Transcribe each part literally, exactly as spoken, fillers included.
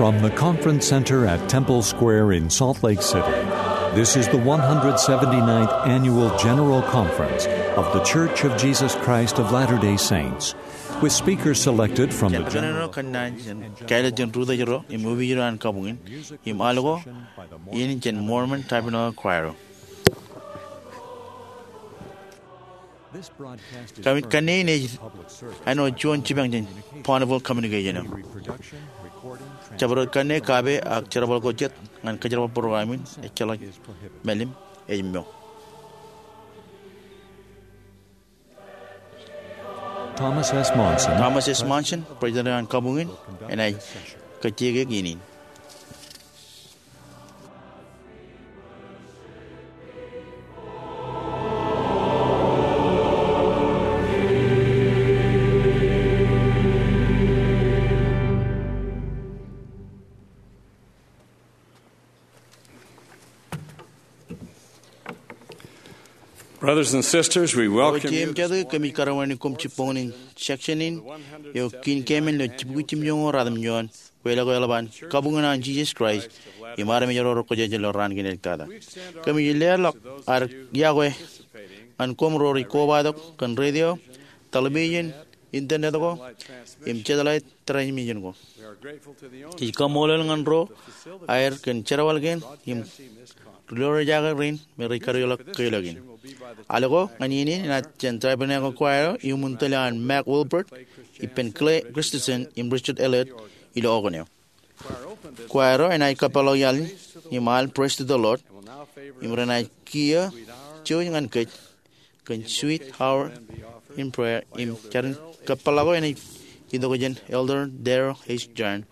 From the Conference Center at Temple Square in Salt Lake City, this is the one hundred seventy-ninth Annual General Conference of The Church of Jesus Christ of Latter-day Saints, with speakers selected from the general. Kōnono kōn naan jān kāālōt jān ri-tōjro im opiij ro an kabuñ in im al ko in jān Mormon Tabernacle Choir. Kamin kanne in ej āinwōt juon jipañ jān Bonneville Communication eo. Jabdewōt kanne, kaabe ak jerbal ko jet ñan kōjerbal program in ejjeḷọk mālim, ej mo. Thomas S. Monson. Thomas S. Monson, President an kabuñ in, enaaj kajjioñ iien in. Brothers and sisters, we welcome you. Im jatū, kōmij karuwaineik koṃ jibboñin section in eo kiin keemān ilo jibukwi jimjuonñoul ratimjuon, kweilọk eḷap an kabuñ in an Jesus Christ im armej ro rekwōjarjar ilo raan kein āliktata. Kōmij leḷọk ad iọkwe ñan koṃ ro rej kobatok kōn radio, television, internet ko, im satellite transmission ko. Ij kaṃṃoolol ñan ro aer kōn jerbal kein im ri-lorjake rein me rej kadiwōjḷọk kweilọk in. Al ko ñan iien in enaaj jān Tabernacle Choir eo iuṃwin tōl eo an Mac Wilbert, ippān Clay Christensen im Richard Elliott ilo open eo. Choir eo enaaj kōpeḷḷọk iaḷ in im al Praise to the Lord, im renaaj kiiō jouj ñan kōj kōn Sweet Hour in Prayer, im jar in kōpeḷḷọk eo enaaj itok jān Elder Darrell H. Jarn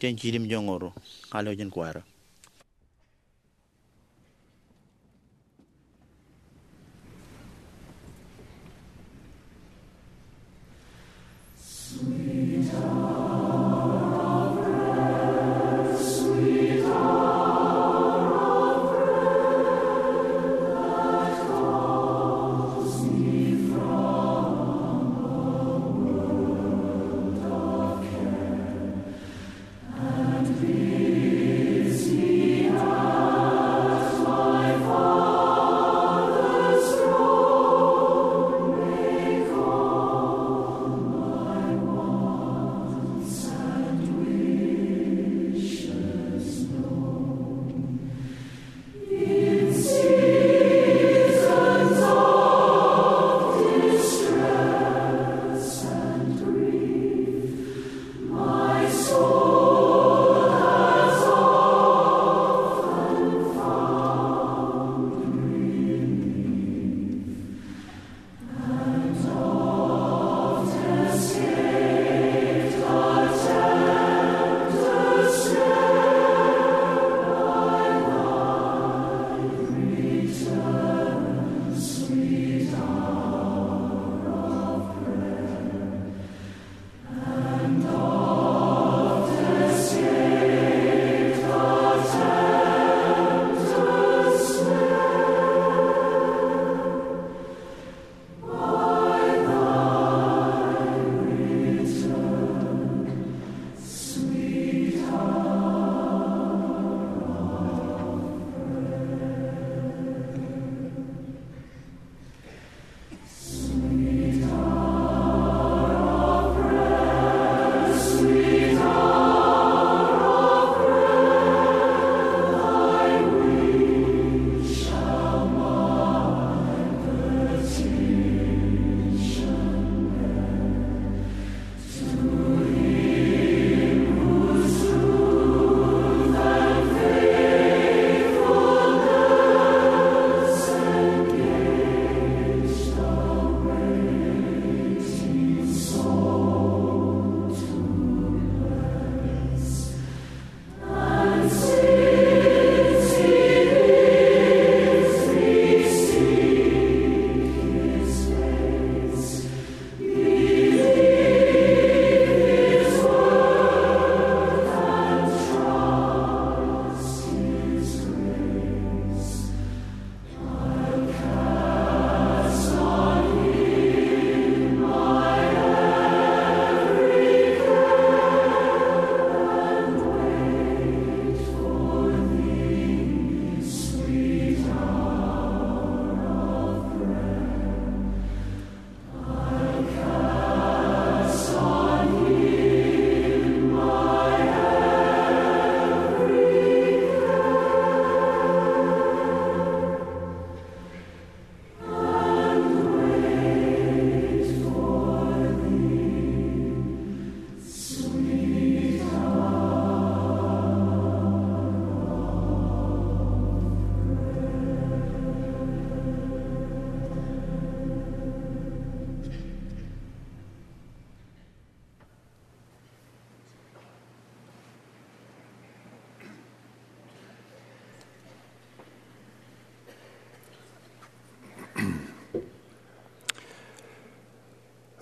jān jiljilimjuonñoul ruo. Al eo jān choir eo.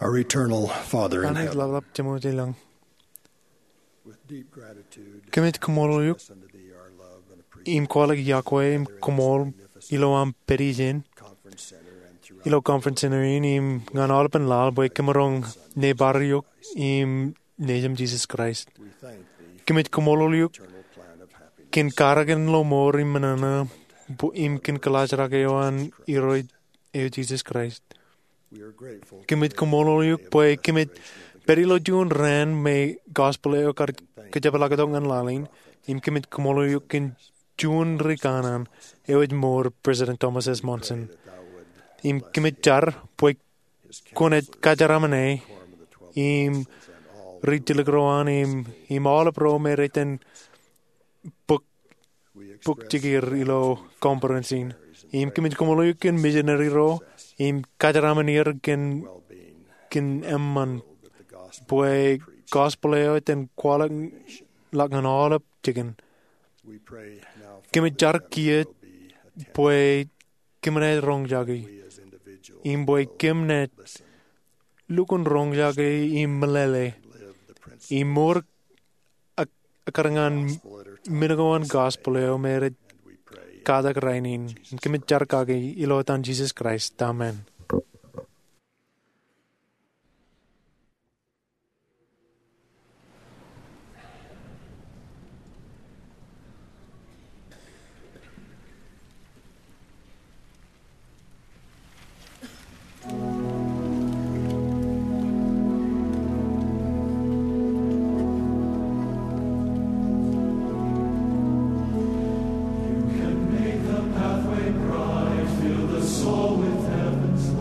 Our eternal Father in Anij heaven, Ḷapḷap Jemām ilañ, with deep gratitude, kōmij kaṃṃoolol eok listen to thee, our love and appreciation im kwaḷọk yokwe im koṃṃool ilo aṃ pād ijin, conference center and throughout ilo conference center in im ñan aolepān laḷ bwe kōm roñ neighbor eok im nejūṃ Jesus Christ. We thank thee Kōmij kaṃṃoolol eok eternal plan of happiness. Kōn karōk in ḷoṃour im men ṇe bwe im kōn kaḷajrak eo an Irooj eo Jesus Christ. We are grateful Kōmij kaṃṃoolol eok bwe kōmij pād ilo juon raan me gospel eo kar kōjepḷaaktok ñan laḷ in, im kōmij kaṃṃoolol eok kōn juon ri kanaan eo ej mour President Thomas S. Monson. Im kōmij jar bwe kwōnaaj kōjeraṃṃan e im ri jilkinḷọk ro an im, im aolep ro me rej itōn bōk, bōk jikier ilo conference in. Im kōmij kaṃṃoolol eok kōn misineri ro im kōjeraṃṃan er kōn, kōn eṃṃan bwe gospel eo ej itōn kwaḷọk ḷọk ñan aolep jikin. Kōmij jar kiiō bwe kōm naaj roñjake im bwe kōm naaj lukkuun roñjake im meḷeḷe im mour ak-, akkar ñan men ko an gospel eo me rej katak rainin. Im kōmij jar kaki ilo etan Jesus Christ, amen. You can make the pathway bright, fill the soul with heaven's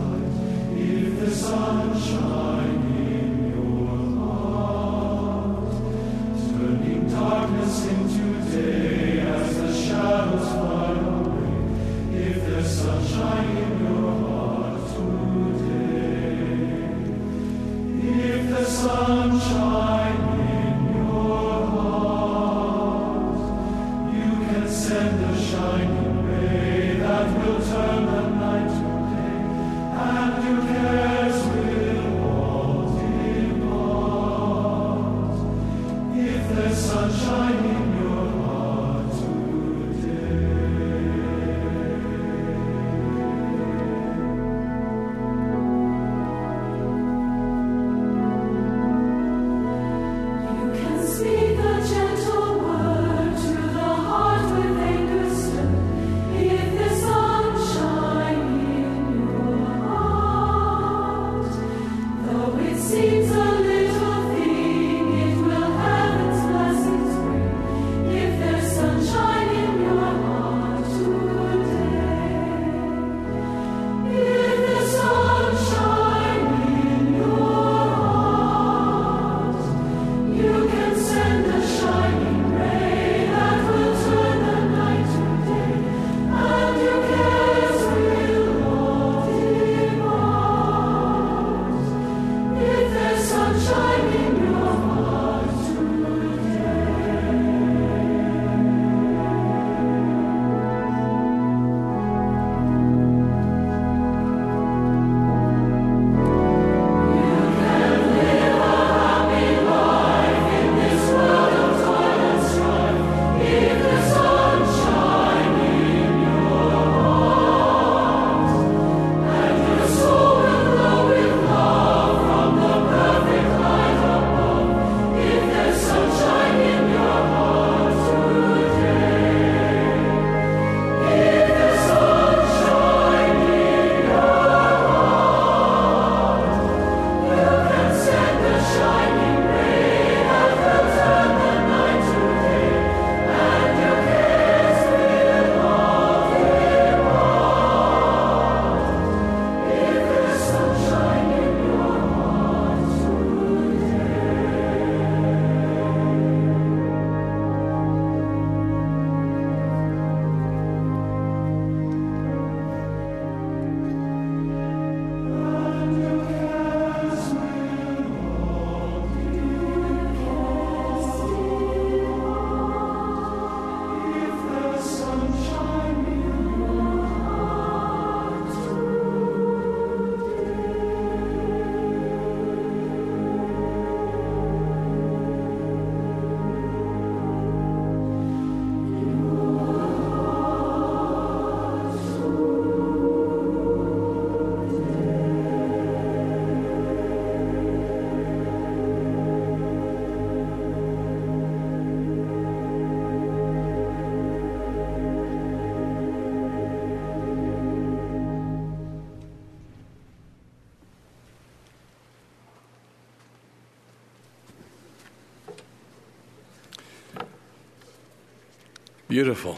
Beautiful.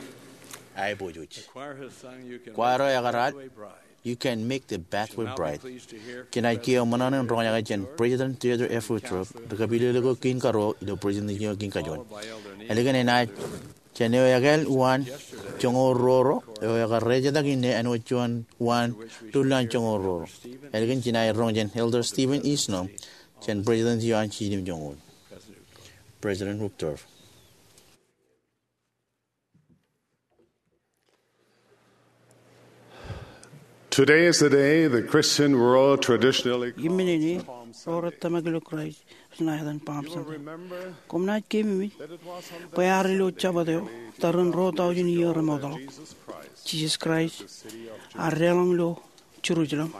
Aiboojoj. Choir has sung, "You can Kwaer eo make the ekar aad, pathway bright." "You can make the pathway bright." Now I'm pleased to hear Jenaaj kiiō ṃōṇōṇō in roñjake jān President Theodore F. Uchtdorf, ri-kapilōklōk eo kein karuo ilo Presidency eo kein kajoor. Followed by Elder Neil Ālikin enaaj jān eo ekāāl uwaan joñoul ruo ro, eo ekar rejetak inne āinwōt juon uwaan lolloin joñoul ruo ro. Ālikin jenaaj roñ jān Elder Stephen E. Snow, jān Presidency eo an Jiljilimjuonñoul. President Uchtdorf. Today is the day the Christian world traditionally Im men eo, ro rej tōmak ilo Kraist rej naaj etan Palm Sunday. Koṃ naaj keememej bwe ear ilo Jabōt eo, tarrin ruo taujin iiō remootḷọk, Jisōs Kraist ear deḷọñ ilo Jerusalem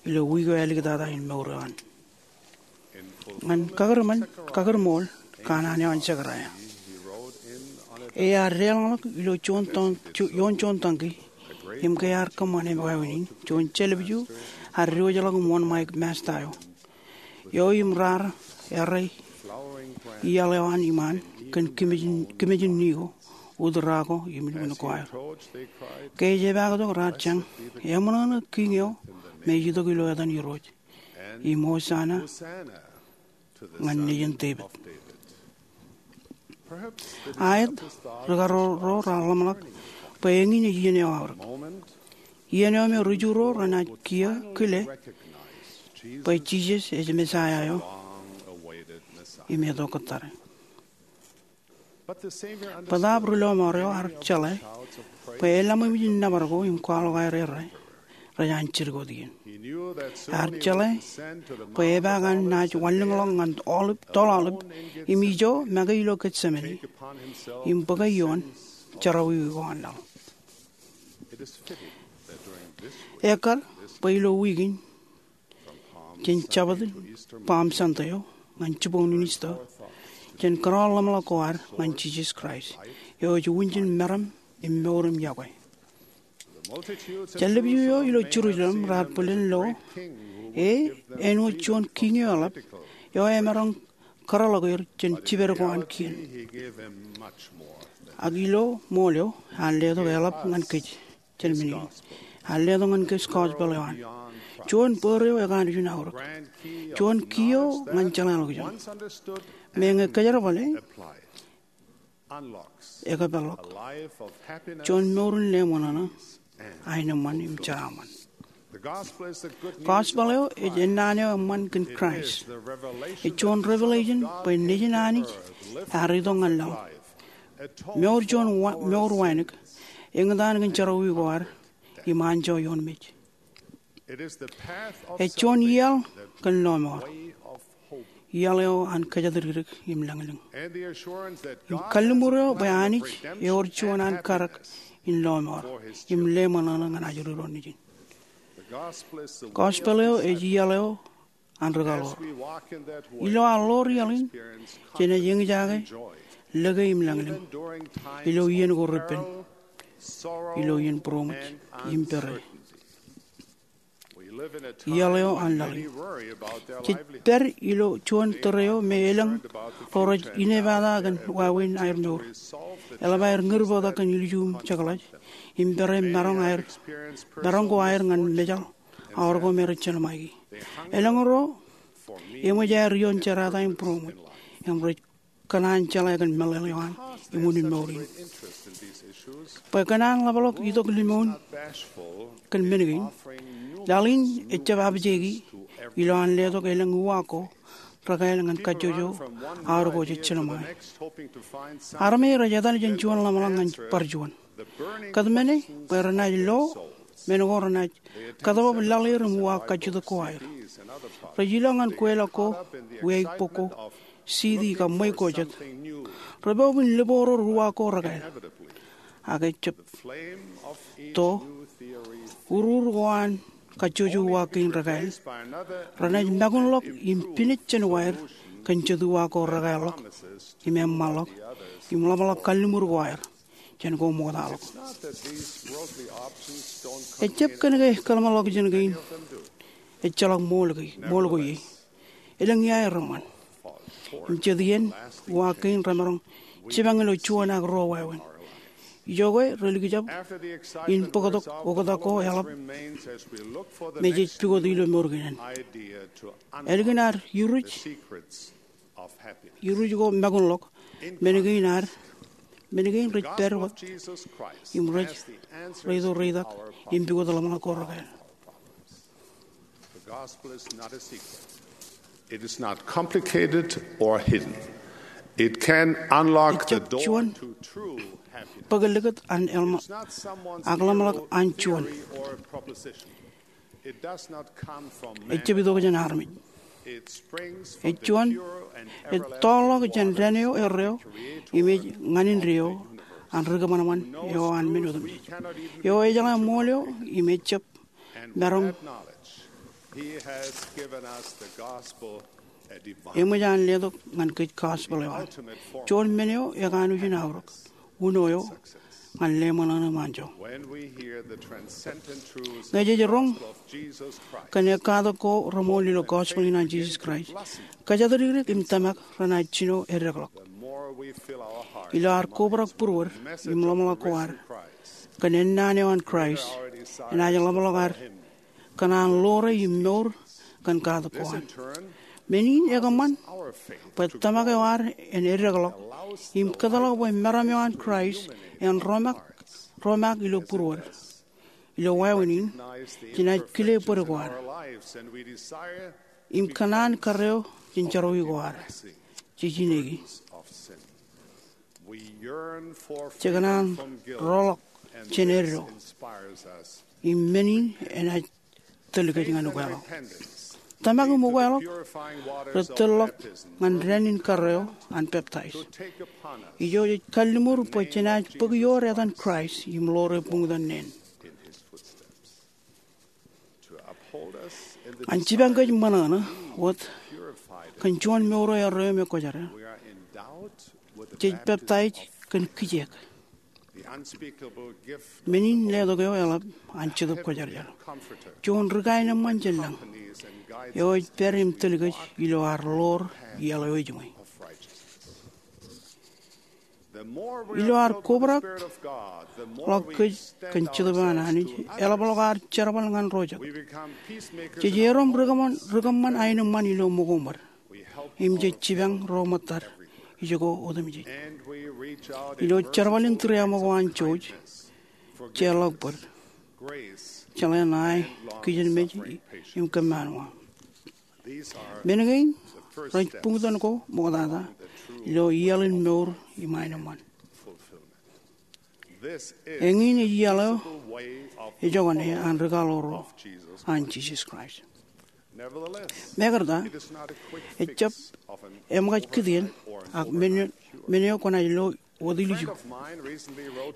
ilo wiik eo āliktata in mour eo an. Ñan kakūrṃan, kakūrṃool kanaan eo an Sekaraia. Ear deḷọñḷọk ilo juon tōñ, ju-, ioon juon tōñki, im ke ear kōṃṃane wāween in, juon jelōpju ear diwōjḷọk im wōnṃaik Masta eo. Eo im raar errā iaḷ eo an iṃaan kōn kimejin, kimejin ni ko, utra ko, im lukkuun ko aer. Ke ej epaaktok raar jañ, "Eṃōṇōṇō Kiiñ eo me ej itok ilo etan Irooj, im Hosana ñan Nejin Devid." Aet, rikaruo ro raar ḷōmṇak bwe eñin ej iien eo aorōk, iien eo me ri-Ju ro renaaj kiiō kile bwe Jisōs ej Mesaia eo im eto kōttare. Bōtaab ri-lọmọọr eo ear jeḷā bwe eḷaṃōj im nōbar ko im kwaḷọk aer errā, rej an jidik wōt iien. Ear jeḷā bwe epaak an naaj wanlōñḷọk ñan aolep, tọl aolep, im ijo make ilo Getsemane, im bōke ioon jerọwiwi ko an laḷ. Ekkar bwe ilo wiik in, jān Jabōt in Palm Sunday eo ñan jiboñ in Easter, jen kōrọọl ḷōmṇak ko ad ñan Jisōs Kraist, eo ej wūnjin meram im mour im iọkwe. Jān lōpiju eo ilo Jerusalem raar bōlen lo, e, āinwōt juon kiiñ eo eḷap, eo emaroñ kōrọọlḷọk er jān jiped ko an kien. Ak ilo ṃool eo, ear letok eḷap ñan kōj jān men in. Ear letok ñan kōj gospel eo an. Juon bōd eo ekaanjun aorōk. Juon kiiō ñan jeḷāḷọkjeṇ. Meñe kōjerbale, ekōpeḷḷọk juon mour in leṃōṇōṇō, aenōṃṃan im jeraaṃṃan. Gospel eo ej ennaan eo eṃṃan kōn Kraist. Ej juon revelation bwe Nejin Anij ear itok ñan laḷ. Mour juon wa-, mour wānōk, eñtaan kōn jerọwiwi ko ad, im anjọ ioon mej. Ej juon iaḷ kōn lọmọọr. Iaḷ eo an kōjatdikdik im lōñlōñ. Im kalliṃur eo bwe Anij ewōr juon an karōk in lọmọọr im leṃōṇōṇō ñan ajri ro nejin. Gospel eo ej iaḷ eo an rikaḷoor. Ilo ad ḷoor iaḷ in, jenaaj eñjake lōke im lōñlōñ ilo iien ko repen, ilo iien būroṃōj im pere. Iaḷ eo an laḷ in. Jej pād ilo juon tōre eo me elōñ ro rej inepata kōn wāween aer mour. Eḷap aer ñūrbotak kōn ilju im jekḷaj im pere maroñ aer, maroñ ko aer ñan mejaḷ aor ko me rej jeḷā ṃaiki. Elōñ ro eṃōj aer ioon jerata im būroṃōj im rej kōṇaan jeḷā kōn meḷeḷe eo an im unin mour in. Bwe kōn an ḷapḷọk itok limoun kōn men kein, laḷ in ejjab abjeki ilo an letok elōñ uwaak ko rekāāl ñan kajjojo aor ko jej jeḷā ṃae. Armej rej etal jān juon ḷōmṇak ñan bar juon. Kōtmāne bwe renaaj lo men ko renaaj kōtbab laḷ er im uwaak kajjitōk ko aer. Rej ilọk ñan kweilọk ko, wiaik bok ko, city kab ṃweiuk ko jet. Rej pād im liboor er uwaak ko rekāāl. Ak ejjab to, urur ko an kajjojo uwaak kein rekāāl renaaj makunḷọk im pinej jān wa er kōn jet uwaak ko rekāālḷọk im eṃṃanḷọk im ḷapḷọk kalliṃur ko aer jān ko ṃoktaḷọk. Ejjab kōn ke kōḷmānḷọkjeṇ kein ejjeḷọk ṃool ke, ṃool ko ie. Elōñ iaer reṃṃan. Im jet iien, uwaak kein remaroñ jipañ ilo juon ak ruo wāween. Ijoke relikjab in bōktok oktak ko eḷap me jej pukot ilo mour kein. Ālikin ad iruj, iruj ko makūnḷọk, men kein ad, men kein rej pād wōt im rej, rej itok reitak im pukot ḷōmṇak ko rekāāl. The gospel is not a secret. It is not complicated or hidden. It can unlock the door to true happiness. Bōk likūt an eḷap, ak ḷōmṇak an juon. It does not come from man. Ejjab itok jān armej. Ej juon, ej tọọrḷọk jān dān eo erreo, im ej ñan indeeo an ri kōṃanṃan eo an men otemjej. Eo ejeḷā ṃool eo, im ejjab maroñ eṃōj an letok ñan kōj gospel eo an. Juon men eo ekanooj in aorōk. Uno eo ñan leṃōṇōṇō ṃaanjoñ. Ñe jej roñ kōn katak ko reṃool ilo gospel in an Jisōs Kraist, kōjatdikdik im tōmak renaaj jino eddekḷọk. Ilo ad kobrak būruod im ḷōmṇak ko ad kōn ennaan eo an Kraist, enaaj ḷapḷọk ad kōn an ḷoore im mour kōn katak ko ad. Men in ekōṃṃan bwe tōmak eo ad en eddekḷọk im kōtḷọk bwe meram eo an Kraist en romaak, romaak ilo būruod. Ilo wāween in, jenaaj kile bōd ko ad im kōṇaan karreo jān jerọwiwi ko ad, jej ineki. Jekōṇaan roḷọk jān eddo im men in enaaj tōl kōj ñan ukeḷọk. Tōmak im ukeḷọk rej tōl ḷọk ñan dān in karreo an peptaij. Ijo jej kalliṃur bwe jenaaj bōk iood etan Kraist im ḷoore buñtōn neen. An jipañ kōj ṃōṇōṇō wōt kōn juon mour eo erreo me kwōjarjar, jej peptaij kōn kijeek. Men in letok eo eḷap an Jetōb Kwōjarjar, juon ri-kaenōṃṃan jān lañ eo ej pād im tōl kōj ilo ad ḷoor iaḷ eo ej uñe. Ilo ad kobrak ḷọk kōj kōn Jetōb eo an Anij, eḷapḷọk ad jerbal ñan ro jet. Jej erom ri kōṃṃan, ri kōṃṃan aenōṃṃan ilo ṃōko ṃōd im jej jipañ ro ṃōttad ijoko otemjej. Ilo jerbal in tūriaṃo ko an jouj, jeorḷọk bōd, jeḷā ṇae, kijenmej, im kōmmaanwa. Men kein rej buñtōn ko ṃoktata ilo iaḷ in mour im aenōṃṃan. Eñin ej iaḷ eo ejokane an ri-kaḷoor ro an Jisōs Kraist. Mekarta, ejjab eṃōkaj kitien, ak men, men eo kwōnaaj lo wōt ilju.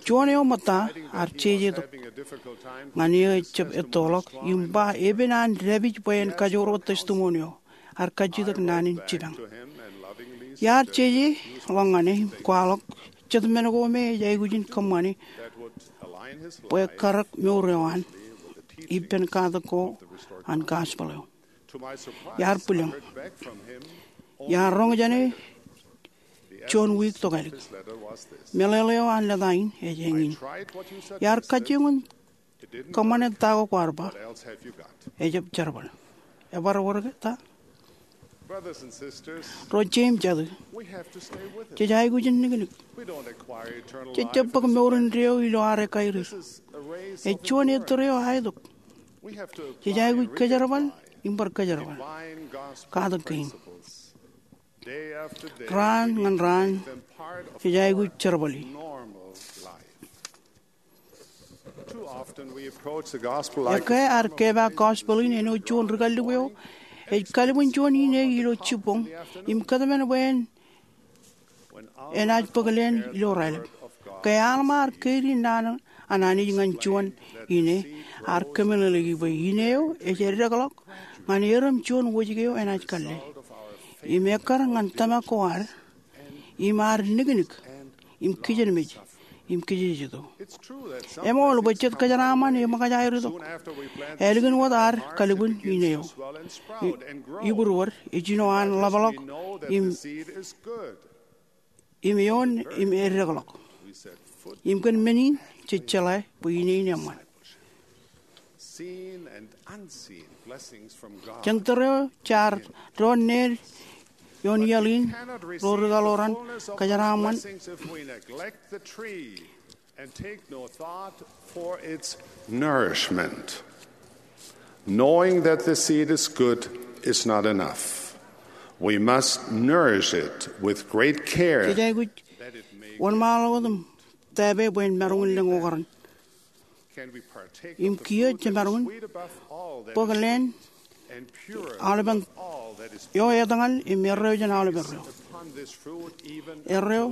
Juon eo ṃōtta ear jeje tok ñan eō ejjab ettoḷọk im ba epen an dāpij bwe en kajoor wōt testimony eo, ear kajjitōk naan in jipañ. Iar jeje ḷọk ñan e im kwaḷọk jet men ko me ej aikuj in kōṃṃane bwe karōk mour eo an ippān katak ko an gospel eo. Iar bwilōñ. Iar roñ jān e juon wiik tokālik. Meḷeḷe eo an lōta in ej eñin. Iar kajjioñ in kōṃṃane ta ko kwaar ba. Ejjab jerbal. Ebar wōr ke ta? Ro jen jatū. Jej aikuj in niknik. Jejjab bōk mour indeeo ilo ad ekkā ri. Ej juon ettōr eo aetok. Jej aikuj kōjerbal im bar kōjerbal katak kein. Raan ñan raan jej aikuj jerbali. Ekkā ad kepaak gospel in āinwōt juon ri-kallib eo ej kalbwin juon ine ilo jibboñ im kōtmān bwe en enaaj bōk leen ilo raelep. Ke Alma ear keidi naan an Anij ñan juon ine, ear kōmeḷeḷeiki bwe ine eo ej eddekḷọk ñan erom juon wōjke eo enaaj kalle. Im ekkar ñan tōmak ko ad, im ad niknik, im kijenmej, im kijejeto. Eṃool bwe jet kōjeraaṃṃan eṃōkaj aer itok. Ālikin wōt ad kalbwin ine eo, i-, ibūruod ej jino an ḷapḷọk im, im eoon im eddekḷọk. Im kōn men in jej jeḷā bwe inein eṃṃan. Jañ tōre eo jaar doon ned ioon iaḷ in ro ri kaḷoran kōjeraaṃṃan. And take no thought for its nourishment. Knowing that the seed is good is not enough. We must nourish it with great care. Jej aikuj wōnṃaanḷọk wōt im tōpe bwe en maroñ in lōñ okaren. Im kiiō jemaroñ in bōk leen aolepen eo etañal im erreo jān aolepān erreo. Erreo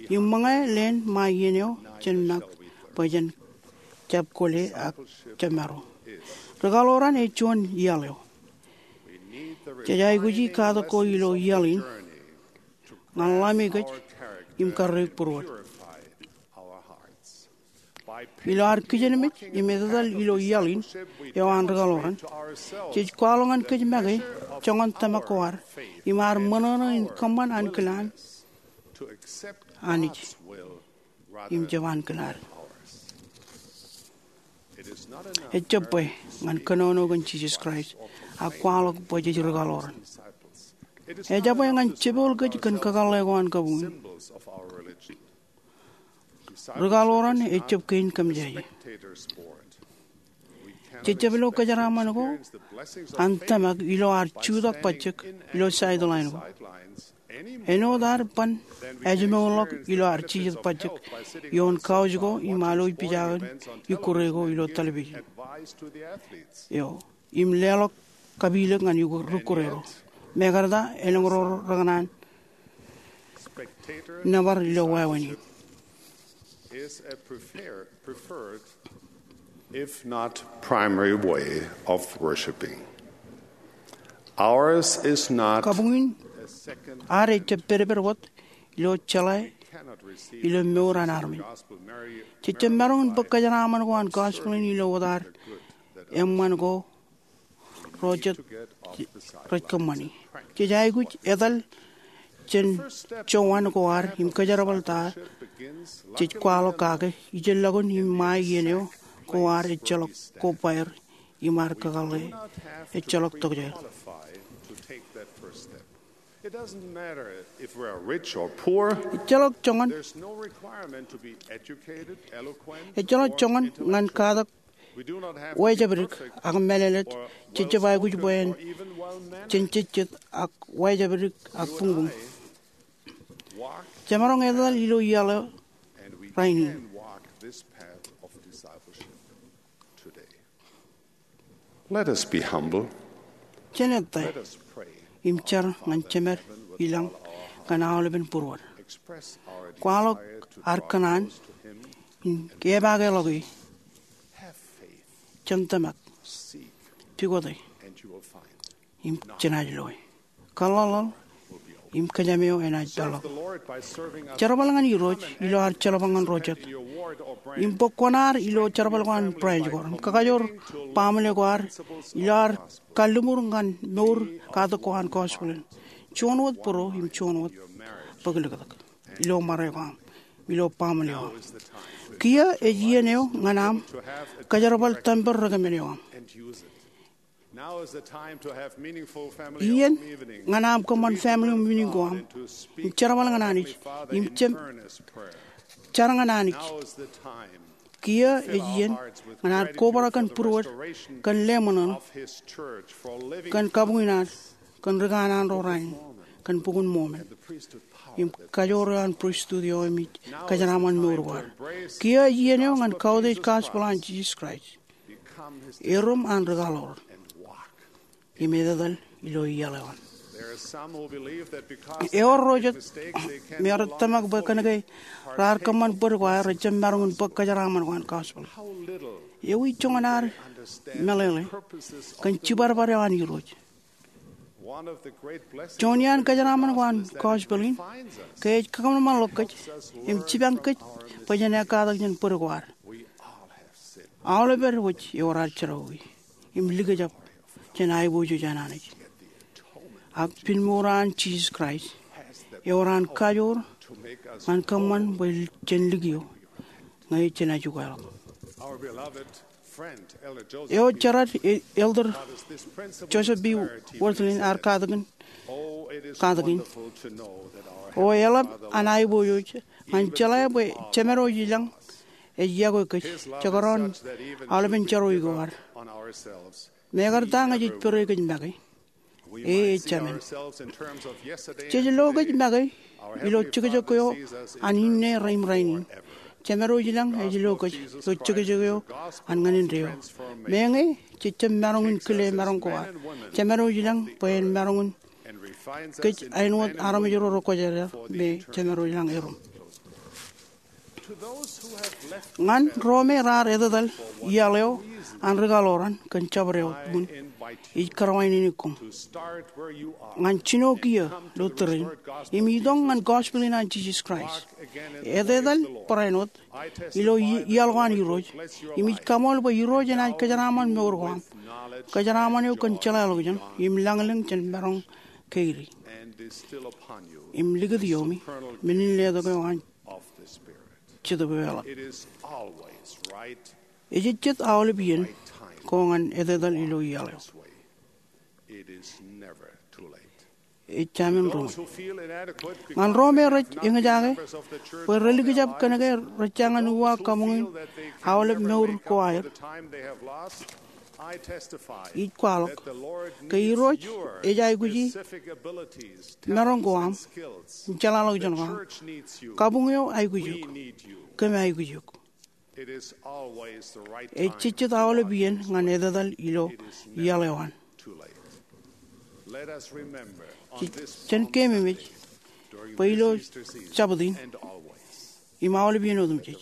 im ṃōñā leen ṃae iien eo jen mak bwe jen jab kwōle ak jemāro. Ri kaḷoran ej juon iaḷ eo. Jej aikuji katak ko ilo iaḷ in ñan ḷami kōj im karreoik būruod. Ilo ad kijenmej im etetal ilo iaḷ in eo an ri kaḷoran, jej kwaḷọk ñan kōj make joñan tōmak ko ad im ad ṃōṇōṇō in kōṃṃan ankilaan Anij im jab ankilaan. Ejjab bwe ñan kōnono kōn Jisōs Kraist ak kwaḷọk bwe jej ri kaḷoran. Ejjab bwe ñan jepel kōj kōn kakōḷḷe ko an kabuñ in. Ri kaḷoran ejjab kein kōmjaje. Jejjab lo kōjeraaṃṃan ko an tōmak ilo ad jutak bajjek ilo sideline ko. Āinwōt ad ban ājmourḷọk ilo ad jijet bajjek ioon couch ko im alwōj pija kōn ikkure ko ilo television eo im leḷọk kapilōk ñan ikkure ro. Mekarta elōñ ro rekōṇaan nōbar ilo wāween in. Is a prefer- preferred, if not primary, way of worshiping. Ours is not. Kabuñ in ad ejjab pedped wōt ilo jeḷā ilo mour an armej. Jejjab maroñ in bōk kōjeraaṃṃan ko an gospel in ilo wōt ad eṃṃan ko ro jet rej kōṃṃani. Jej aikuj etal jān jowan ko ad im kōjerbal ta jej kwaḷọk kake ijellọkun im ṃae iien eo ko ad ejjeḷọk kobaer im ad kakōḷḷe ejjeḷọk tokjāer. Ejjeḷọk joñan, ejjeḷọk joñan ñan katak wāween jabdewōt ak mālōtlōt. Jej jab aikuj bwe en jen jejjet ak wāween jabdewōt ak buñbuñ. Jemaroñ etal ilo iaḷ eo rainin. Let us be humble. Jen ettā im jar ñan Jemed ilañ kōn aolepen būruod. Kwaḷọk ad kōṇaan in kepaakḷọke. Jen tōmak, pukot e, im jenaaj loe. Kaḷḷaḷḷaḷ im kōjām eo enaaj peḷḷọk. Jerbal ñan Irooj ilo ad jeḷọk ñan ro jet im bōk kuṇaad ilo jerbal ko an branch ko im kakajoor baaṃle ko ad ilo ad kalliṃur ñan mour katak ko an gospel in. Juon wōt bōro im juon wōt bōklōktak ilo ṃare ko aṃ, ilo baaṃle eo aṃ. Kiiō ej iien eo ñan aṃ kōjerbal tempel rekōmen eo aṃ. Iien ñan aṃ kōṃṃan family meeting ko aṃ im jerbal ñan Anij im jar ñan Anij. Kiiō ej iien ñan ad kobrak kōn būruod, kōn leṃōṇōṇō, kōn kabuñ in ad, kōn ri kanaan ro rainin, kōn Bok in Mormon im kajoor eo an pristut eo im ej kōjeraaṃṃan mour ko ad. Kiiō ej iien eo ñan kautiej gospel an Jisōs Kraist. Erom an ri kaḷoor im etetal ilo iaḷ eo an. Ewōr ro jet im rej tōmak bwe kōnke raar kōṃṃan bōd ko aer rej jab maroñ in bōk kōjeraaṃṃan ko an gospel. Ewi joñan ad meḷeḷe kōn jibadbad eo an Irooj? Juon iaan kōjeraaṃṃan ko an gospel in ke ej kakōṃanṃanḷọk kōj im jipañ kōj bwe jen katak jān bōd ko ad. Aolepād wōj ewōr ad jerọwiwi im likjab jān aiboojoj an Anij. Ak pinmour an Jisōs Kraist ewōr an kajoor ñan kōṃṃan bwe jen likio ñe jenaaj ukeḷọk. Eo jerad, Elder Joseph B. Wirthlin ear katakin, katakin, O eḷap an aiboojoj ñan jeḷā bwe Jemād wōj ilañ ej iọkwe kōj jekdọọn aolepen jerọwiwi ko ad. Mekarta ñe jej pere kōj make, e ej jemān. Jej lo kōj make ilo jekjek eo an inne rein rainin. Jemād wōj ilañ ej lo kōj ilo jekjek eo an ñan indeeo. Meñe jej jab maroñ in kile maroñ ko ad, Jemād wōj ilañ bwe en maroñ in kōj āinwōt armej ro rekwōjarjar me Jemād wōj ilañ erom. Ñan ro me raar etetal iaḷ eo an ri kaḷoran kōn jabdewōt wūn, ij kōrọwānōk koṃ ñan jino kiiō ilo tōre in im itok ñan gospel in an Jisōs Kraist. Etetal barāinwōt ilo i-, iaḷ ko an Irooj, im ij kaṃool bwe Irooj enaaj kōjeraaṃṃan mour ko aṃ. Kōjeraaṃṃan eo kōn jeḷāḷọkjeṇ im lañlōñ jān maroñ keidi im likūt iomi men in letok eo an Jetōb eo eḷap. Ejejjet aolep iien ko ñan etetal ilo iaḷ eo. Ejāmin ro ñan ro me rej eñjake bwe relikjab kōnke rej jañin uwaak kabuñ in aolep mour ko aer. Ij kwaḷọk ke Irooj ej aikuji maroñ ko aṃ, jeḷāḷọkjeṇ ko aṃ. Kabuñ eo aikuj eok. Kōm aikuj eok. Ejejjet aolep iien ñan etetal ilo iaḷ eo an. Jen keememej bwe ilo Jabōt in im aolep iien otemjej,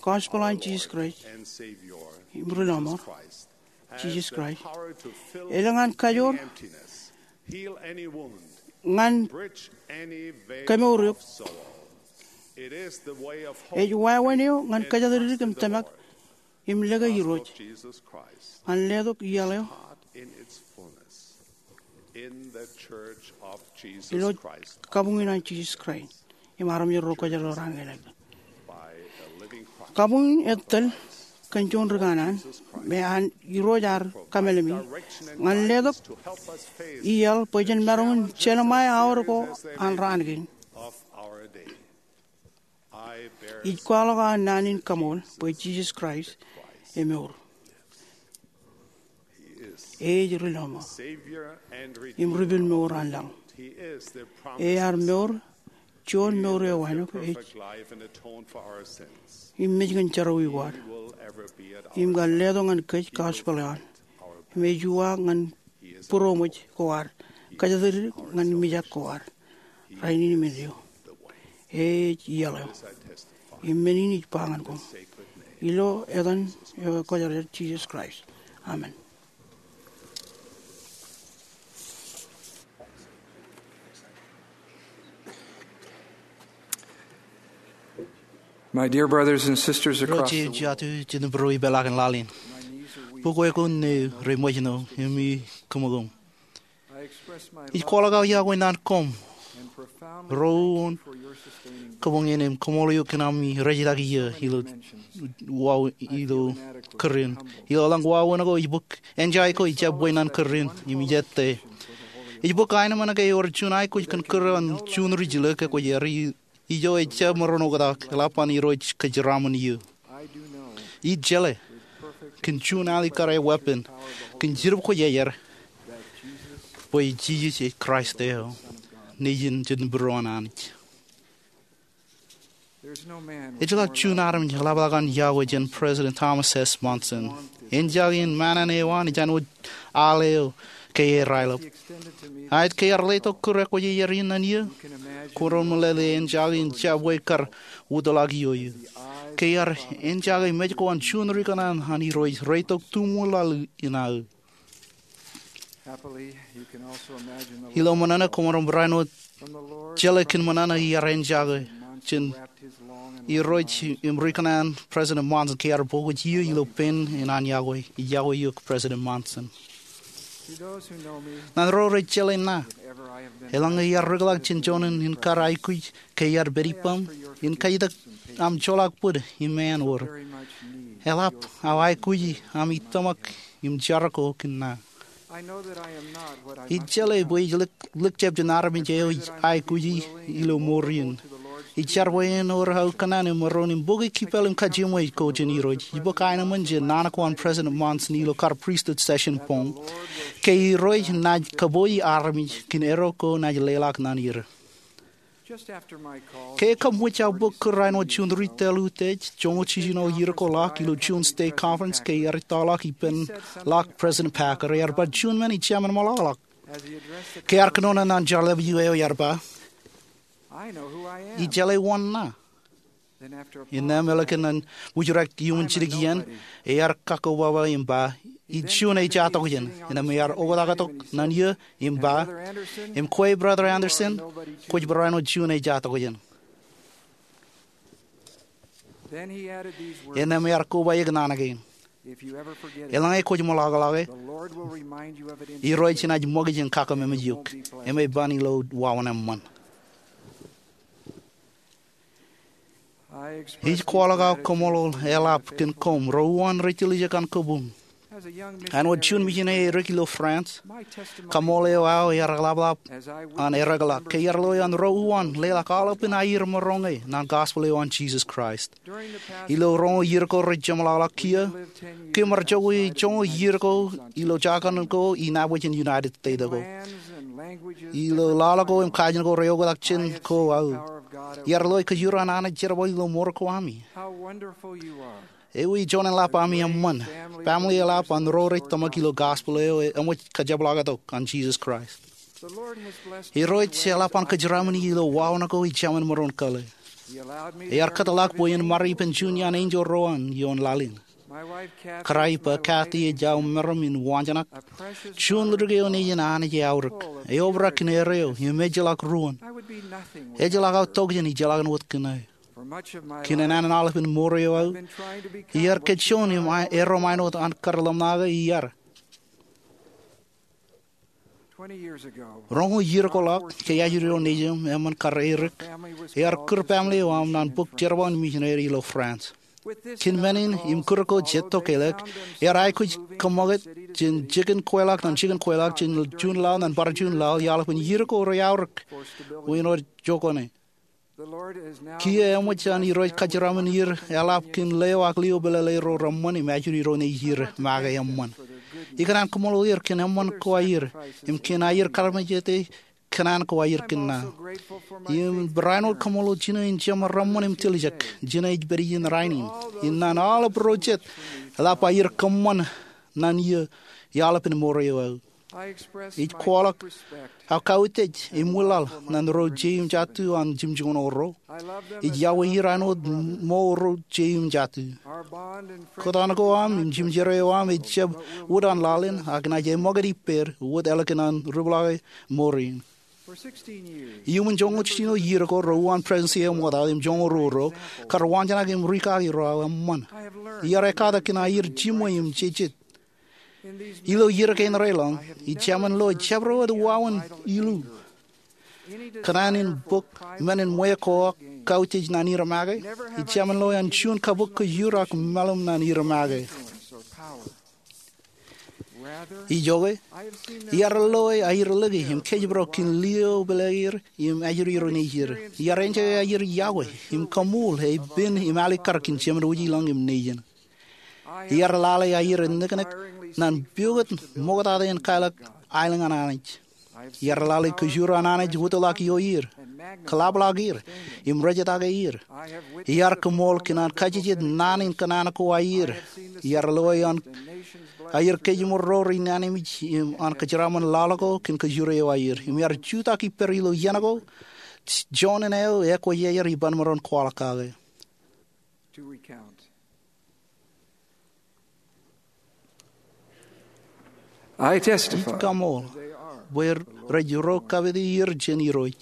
gospel an Jisōs Kraist im Rilọmọọr, Jisōs Kraist, elōñ an kajoor ñan kemour eok. Ej wāween eo ñan kōjatdikdik im tōmak im lōke Irooj ñan letok iaḷ eo ilo kabuñ in an Jisōs Kraist im armej ro kwōjarjar ro an elōñ. Kabuñ in ej tōl kōn juon ri kanaan me an Irooj ear kamelemej ñan letok iaḷ bwe jen maroñ in jelṃae aor ko an raan kein. Ij kwaḷọk aō naan in kaṃool bwe Jisōs Kraist emour. E ej Rilọmọọr im Ripilmour an laḷ. E ear mour juon mour eo āinwōt ej im mej kōn jerọwiwi ko ad im kar letok ñan kōj gospel eo an im ej uwaak ñan būroṃōj ko ad, kōjatdikdik ñan mijak ko ad rainin im indeeo. E ej iaḷ eo. Im men in ij ba ñan koṃ ilo etan eo ekwōjarjar, Jisōs Kraist, amen. My dear brothers and sisters across the world, ro jeiū jatū, jen būruō ipeḷaakin laḷ in. Bukwe ko ṇe rej ṃōjṇọ im ikōṃṃan. Ij kwaḷọk aō iọkwe ñan koṃ ro wōn kabuñ in im kaṃool eok kōn ami rejjitōk iiō ilo wao ilo kūr in. Ilo eḷaññe wāween ko ej bōk enjae ko ij jab bwe ñan kūr in im ij ettā. Ej bōk aenōṃṃan ke ewōr juon aikuj kōn kūr eo an juon ri jilōk kwōj ear ijo ejjab maroñ oktak eḷap an Irooj kōjeraaṃṃan iiō. Ij jeḷā kōn juon alikkar eweeppān kōn Jetōb Kwōjarjar bwe Jisōs ej Kraist eo, Nejin jen būruon Anij. Ejjeḷọk juon armej eḷapḷọk an iọkwe jān President Thomas S. Monson. Enjake in ṃōṇōṇō eo an ej āinwōt al eo ke ear aelep. Aet ke ear letok kūr eo kwōj ear iien ñan iiō, kwōmaroñ meḷeḷe enjake in jab bwe kar wōtlọk ioiō. Ke ear enjake mej ko an juon ri kanaan an Irooj reitok tuṃo laḷ in aō. Ilo ṃōṇōṇō kwōmaroñ barāinwōt jeḷā kōn ṃōṇōṇō ear enjake jān Irooj im ri kanaan President Monson ke ear bōkwōj iiō ilo pen in an iọkwe. Iọkwe eok President Monson. Ñan ro rej jeḷā ṇa, eḷaññe iar rūkḷọk jān joñan in kar aikuj ke iar pād ippaṃ, in kajjitōk aṃ joḷọk bōd im āinwōt. Eḷap aō aikuji ami tōmak im jar ko kōn ṇa. Ij jeḷā bwe ij lik jab jān armej eo ij aikuji ilo mour in. Ij jar bwe en wōr aō kōṇaan im maroñ in bōki kipel im kajiṃwe ko jān Irooj. Ij bōk aenōṃṃan jān naan ko an President Monson ilo kar pristut session boñ, ke Irooj naaj kōpooje armej kōn erro ko naaj leḷọk ñan er. Ke kab ṃōj aō bōk kūr rainin wōt juon ri tōl utiej, joñoul jiljino ier ko ḷọk ilo juon stake conference ke iar ettoḷọk ippān ḷọk President Packer, ear bar juon men ijāmin ṃōḷaḷḷọk. Ke ear kōnono ñan jar lepiju eo ear ba, "Ij jeḷā wōn ṇa." Innām ālikin an wūjrak iuṃwin jidik iien, ear kakkobaba im ba, "Ij juon ejatoijeṇ." Innām ear oktak tok ñan eō im ba, "Im kwe, Brother Andersen, kwōj barāinwōt juon ejatoijeṇ." Innām ear kobaik ñan kein, "Eḷaññe kwōj ṃōḷaḷḷọke, Irooj enaaj ṃōkaj in kakememej eok, im ej ban ilo wāween eṃṃan." Ij kwaḷọk aō kaṃṃoolol eḷap kōn koṃ ro uwaan rej tiljek an kabuñ. Āinwōt juon misineri eo erik ilo France, kaṃṃoolol eo aō ear ḷapḷap an ereklọk ke iar loe an ro uwaan leḷọk aolepān aier maroñe ñan gospel eo an Jisōs Kraist. Ilo roñoul iiō ko rej jeṃḷọkḷọk kiiō, kōm ar jokwe joñoul iiō ko ilo jakaṇ ko inabwe jān United States ko. Ilo laḷ ko im kajin ko rej oktak jān ko aō, iar loe kōjro an Anij jerbal ilo mour ko ami. Ewi joñan ḷap ami eṃṃan, family eḷap an ro rej tōmak ilo gospel eo eṃōj kajepḷaaktok an Jisōs Kraist. Irooj eḷap an kōjeraaṃṃan ilo wāween ko ijāmin maroñ kōḷḷe. Ear kōtḷọk bwe en ṃare ippān juon iaan enjeḷ ro an ioon laḷ in. Kōrā ippa, Kathy ej aō meram in waanjoñak, juon ledik eo nejin Anij eaorōk, eobrak kōn erreo im ejjeḷọk ruōn. Ejjeḷọk aō tokjān ijjeḷọkin wōt kōn aō. Kōn naan in aolepān mour eo aō, iar kōjjoin im erro ṃaenwōt an kar ḷōmṇake iar. Roñoul iiō ko ḷọk, ke ajri ro nejūṃ eṃṃan kar erik, ear kūr family eo aṃ ñan bōk jerbal in misineri ilo France. Kōn men in im kūr ko jet to kelọk, ear aikuj kōṃṃakūt jān jikin kweilọk ñan jikin kweilọk, jān juon laḷ ñan bar juon laḷ, iaḷ ippān iiō ko reaorōk, wōn eo jokwane. Kiiō eṃōj an Irooj kōjeraaṃṃan er eḷap kōn leo ak lio pālele ro reṃṃan im ajri ro nejid make eṃṃan. Ikōṇaan kaṃṃoolol er kōn eṃṃan ko aer im kōn aer kaarmejete kōṇaan ko aer kōn ṇa. Im barāinwōt kaṃṃoolol jino in jema reṃṃan im tiljek, jino ej pād ijin rainin, im ñan aolep ro jet eḷap aer kōṃṃan ñan eō iaḷ ippān mour eo aō. Ij kwaḷọk aō kautiej im wūlaḷ ñan ro jeim jatū an jimjuon orro. Ij iọkwe er āinwōt ṃool ro jeim jatū. Kōtaan ko aṃ im jimjere eo aṃ ej jab wōt an laḷ in, ak enaaj eṃṃakūt ippād wōt ālikin an rūplọke mour in. Iuṃwin joñoul jiljino iiō ko, ro uwaan President eo ṃokta im joñoul ruo ro kar waanjoñak im rikaki ro aō eṃṃan. Iar ekkatak kōn aer jiṃwe im jejet. Ilo iiō kein raelọñ, ij jāmin loe jabdewōt wāween ilu. Kōṇaan in bōk men in ṃweo ko ak kautiej ñan er make, ij jāmin loe an juon kabōk kōjur ak meḷeḷe ñan er make. Ijoke, iar loe aer lōke im kōjparok kōn lio pālele er im ajri ro nejid. Iar enjoy aer iọkwe im kaṃool e pen im alikkar kōn jemān wūjlọñ im nejin. Iar lale aer niknik ñan piukot ṃoktata in kaelōk aelōñ an Anij. Iar lale kōjur an Anij wūtḷọk ioer, kōḷapḷọk er, im rejtake er. Iar koṃṃool kōn an kajejet naan in kōṇaan ko aer. Iar loe an aer kōjmur ro ri nanemej im an kōjeraaṃṃan laḷ ko kōn kōjur eo aer. Im iar jutak ippād ilo iien ko, joñan eo ekwōjarjar iban maroñ kwaḷọk kake. Ij kaṃool bwe rej ro kapiti er jān Irooj.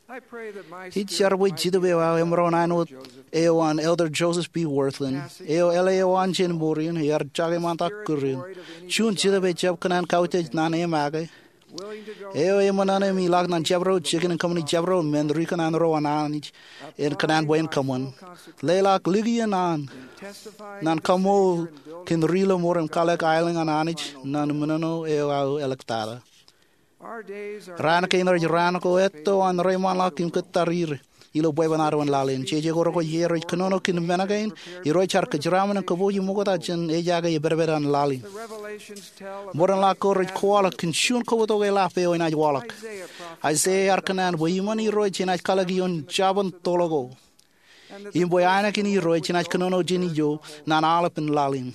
Ij jar bwe Jetōb eo aō emaroñ in āinwōt eo an Elder Joseph B. Wirthlin, eo L A eo an jān mour in ear jake ṃaantak kūr in. Juon Jetōb ejjab kōṇaan kautiej naan e make, eo eṃōṇōṇō im ilọk ñan jabdewōt jikin in kōṃṃani jabdewōt men ri kōṇaan ro an Anij en kōṇaan bwe en kōṃṃan, leḷọk likien an ñan kaṃṃool kōn ri ilo mour im kwaḷọk aelōñ an Anij ñan menono eo aō āliktata. Raan kein rej raan ko etto an reiṃaanḷọk im kōttar er ilo bwebwenato in laḷ in. Jeje ko rekwōj iar ej kōnono kōn men kein, Irooj ear kōjeraaṃṃan im kōpooje ṃokta jān ejake epedped an laḷ in. Ṃōdenḷọk ko rej kwaḷọk kōn juon kōttok eḷap eo enaaj waḷọk. Aiseia ear kōṇaan bwe iṃaan Irooj enaaj kalōk ioon jabōn toḷ ko, im bwe aenōk in Irooj enaaj kōnono jān ijo ñan aolepān laḷ in.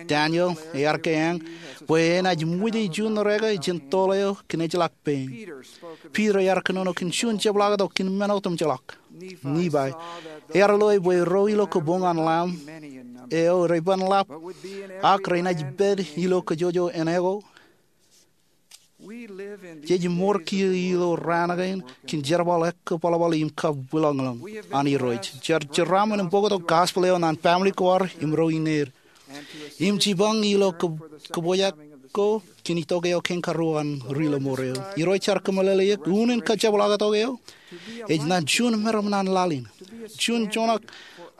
Daniel ear keeañ bwe enaaj ṃwij juon rekā jān toḷ eo kōn ejjeḷọk pein. Piter ear kōnono kōn juon jepḷaaktok kōn men otemjeḷọk. Nipai ear loe bwe ro ilo kabuñ an Lamb eo reban ḷap, ak renaaj pād ilo kōjwōjwō āne ko. Jej mour kiiō ilo raan kein kōn jerbal ekkōbaḷbaḷ im kab wilōñlōñ an Irooj. Jej jeraaṃṃan im bōktok gospel eo ñan family ko ad im ro ineed, im jipañ ilo kōb-, kōbōjak ko kōn itok eo kein karuo an ri ilo mour eo. Irooj ear kōmeḷeḷeik unin kajepḷaaktok eo ej ñan juon meram ñan laḷ in, juon joñak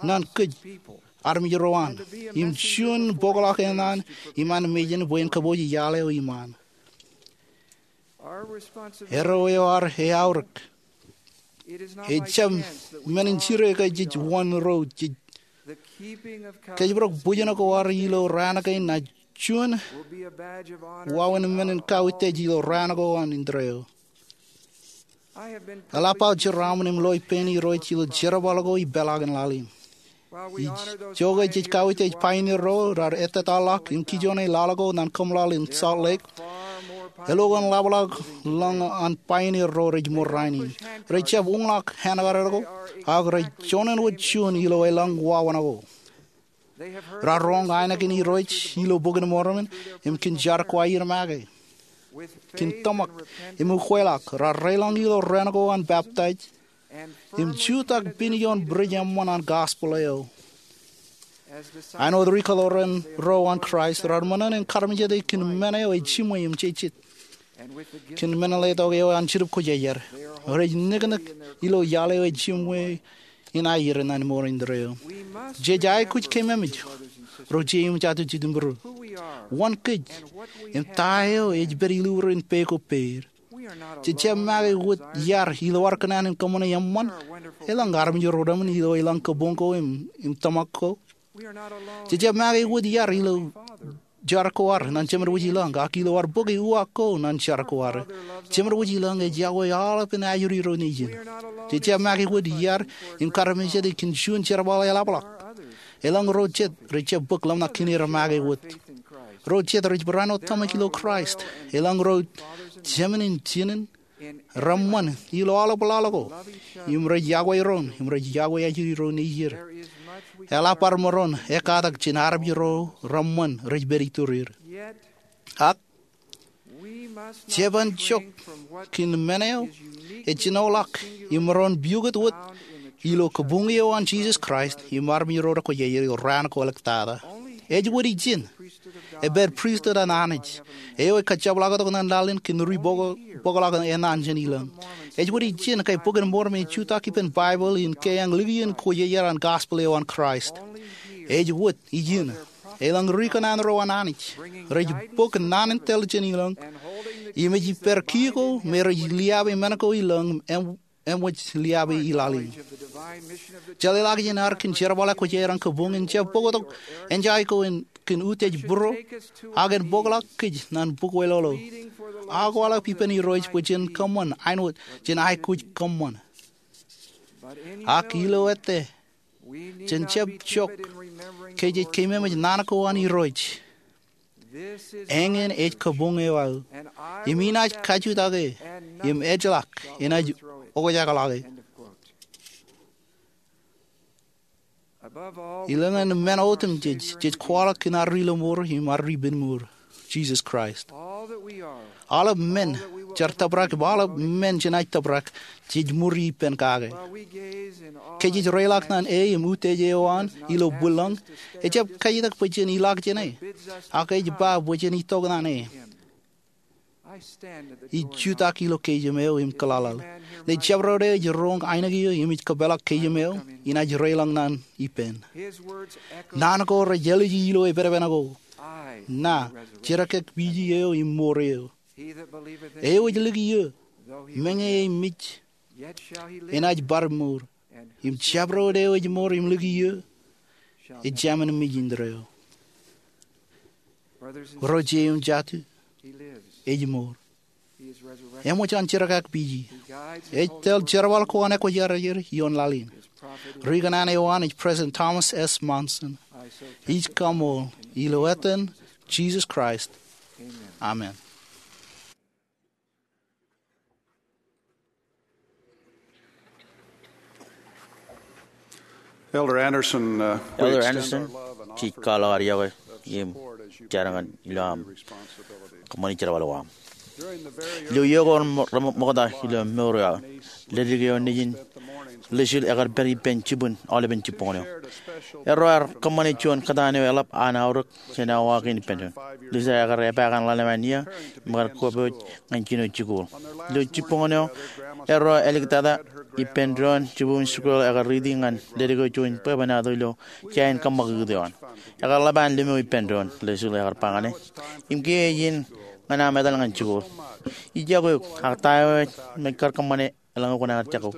ñan kōj armej ro an, im juon bōkḷọk eṇ an iṃaan mejān bwe en kōpooje iaḷ eo iṃaan. Erro eo ad eaorōk ejjab men in jire ke jej wōn ro. Jej kōjparok bwijin ko ad ilo raan kein ej juon wāween men in kautiej ilo raan ko an indeeo. Eḷap aō jeraaṃṃan im loe pein Irooj ilo jerbal ko ipeḷaakin laḷ in. Ijoke jej kautiej pioneer ro raar ettetaḷọk im kijoone laḷ ko ñan kōṃṃan laḷ in Salt Lake, elukkuun ḷapḷọk lōñ an pioneer ro rej mour rainin. Rej jab uñḷọk ānkaden ko, ak rej joñan wōt juon ilo elōñ wāween ko. Raar roñ aenōk in Irooj ilo Bok in Mormon im kōn jar ko aer make. Kōn tōmak im ukweḷọk raar deḷọñ ilo raan ko an baptize im jutak pin ioon bwidej eṃṃan an gospel eo. Āinwōt ri kōḷoran ro an Kraist, raar ṃōṇōṇō im karmejete kōn men eo ej jiṃwe im jejjet, kōn men letok eo an Jetōb Kwōjarjar. Rej niknik ilo iaḷ eo ej jiṃwe in aer ñan mour indeeo. Jej aikuj keememej ro jeiū im jatū jidik būruō, wōn kōj im ta eo ej pād ilūkūr in peiṃ ko peiṃ. Jej jab make wōt iar ilo ad kōṇaan in kōṃṃane eṃṃan, elōñ armej ro reṃwin ilo elōñ kabuñ ko im, im tōmak ko. Jej jab make wōt iar ilo jar ko ad ñan Jemed wōj ilōñ, ak ilo ad bōke uwaak ko ñan jar ko ad. Jemed wōj ilōñ ej yokwe aolepān ajri ro nejin. Jej jab make wōt iar im karmejete kōn juon jerbal eḷapḷọk. Elōñ ro jet rej jab bōk ḷōmṇak kōn er make wōt. Ro jet rej barāinwōt tōmak ilo Kraist. Elōñ ro jemān in jinen reṃṃan ilo aolep laḷ ko, im rej yokwe doon, im rej yokwe ajri ro nejid. Eḷap ad maroñ ekkatak jān armej ro reṃṃan rej pād iturin. Ak jeban jok kōn men eo ej jinoḷọk im maroñ piukūt wōt ilo kabuñ eo an Jisōs Kraist im armej ro rekwōjarjar ilo raan ko āliktata. Ej wōt ijin epād pristut an Anij eo ej kajepḷaaktok ñan laḷ in kōn ri bōk-, bōkḷọk eṇ an jān ilōñ. Ej wōt ijin ke Bok in Mormon ej jutak ippān Baibōḷ in keeañ likien kwōjarjar an gospel eo an Kraist. Ej wōt ijin elōñ ri kōṇaan ro an Anij rej bōk naan in tōl jān ilōñ im ej ippād kiiō ko me rej liabe men ko ilōñ im, im ej liabe ilaḷ in. Jeḷāḷọkjeṇ ad kōn jerbal ekwōjarjar an kabuñ in jab bōktok enjake ko in kōn utiej būruō, ak en bōkḷọk kōj ñan bukweḷoḷo, ak kwaḷọk ippān Irooj bwe jen kōṃṃan āinwōt jen aikuj kōṃṃan. Ak ilo ettā, jen jab jok ke jej keememej naan ko an Irooj. Eñin ej kabuñ eo aō, im inaaj kajutake im ejjeḷọk enaaj okjakḷọke. Ilōñin men otemjej jej kwaḷọk kōn ad ri ḷōṃur im ad ri pen mour, Jisōs Kraist. Aolep men Jar tōprak im aolep men jenaaj tōprak, jej ṃuri ippān kake. Ke jej reiḷọk naan e im utiej eo an ilo būḷōñ, ejjab kajjitōk bwe jen ilọk jān e, ak ej ba bwe jen itok naan e. Ij jutak ilo keijeṃ eo im kōḷaḷḷaḷ. Ej jabdewōt eo ej roñ ainikio im ej kōpeḷḷọk keijeṃ eo, inaaj reiḷọk naan ippān. Naan ko rej āliji ilo epedepen ko, Na, jerkakpiji eo im mour eo. Eo ej likio, meñe ej mej, enaaj bar mour. Im jabdewōt eo ej mour im likio, ejāmin mej indeeo. Ro jeiū im jatū, ej mour. Eṃōj an jerkakpiji. Ej tōl jerbal ko an ekwōjarjar ioon laḷ in. Ri-kōṇaan eo an ej President Thomas S. Monson. Ij kaṃool ilo etan Jisōs Kraist. Amen. Elder Anderson, uh, we Elder extend Anderson, our love and jej offer kwaḷọk ad iọkwe im jar ñan ilo aṃ kōṃṃani jerbal ko aṃ. Ilo iiō ko reṃōkta ilo mour eo aō, ledik eo nejin Lucille ekar pād ippān jibwin aolepen jibboñōn eo. Erro ear kōṃṃane juon kōtaan eo eḷap an aorōk jān awa kein ippān doon. Lucille ekar epaak an ḷalem an iiō im ekar kōpooj ñan jino jikuuḷ. Ilo jibboñōn eo, erro āliktata ippān doon jibwin jikuuḷ ekar riiti ñan ledik eo juon bwebwenato ilo jāān kōṃṃakūt eo an. Ekar ḷap an limeo ippān doon, Lucille ekar ba ñan e. Im kiiō ej in ñan aṃ etal ñan jikuuḷ. Ij iọkwe eok, ak ta eo ej kar kōṃṃane eḷaññe kwōnaaj jako.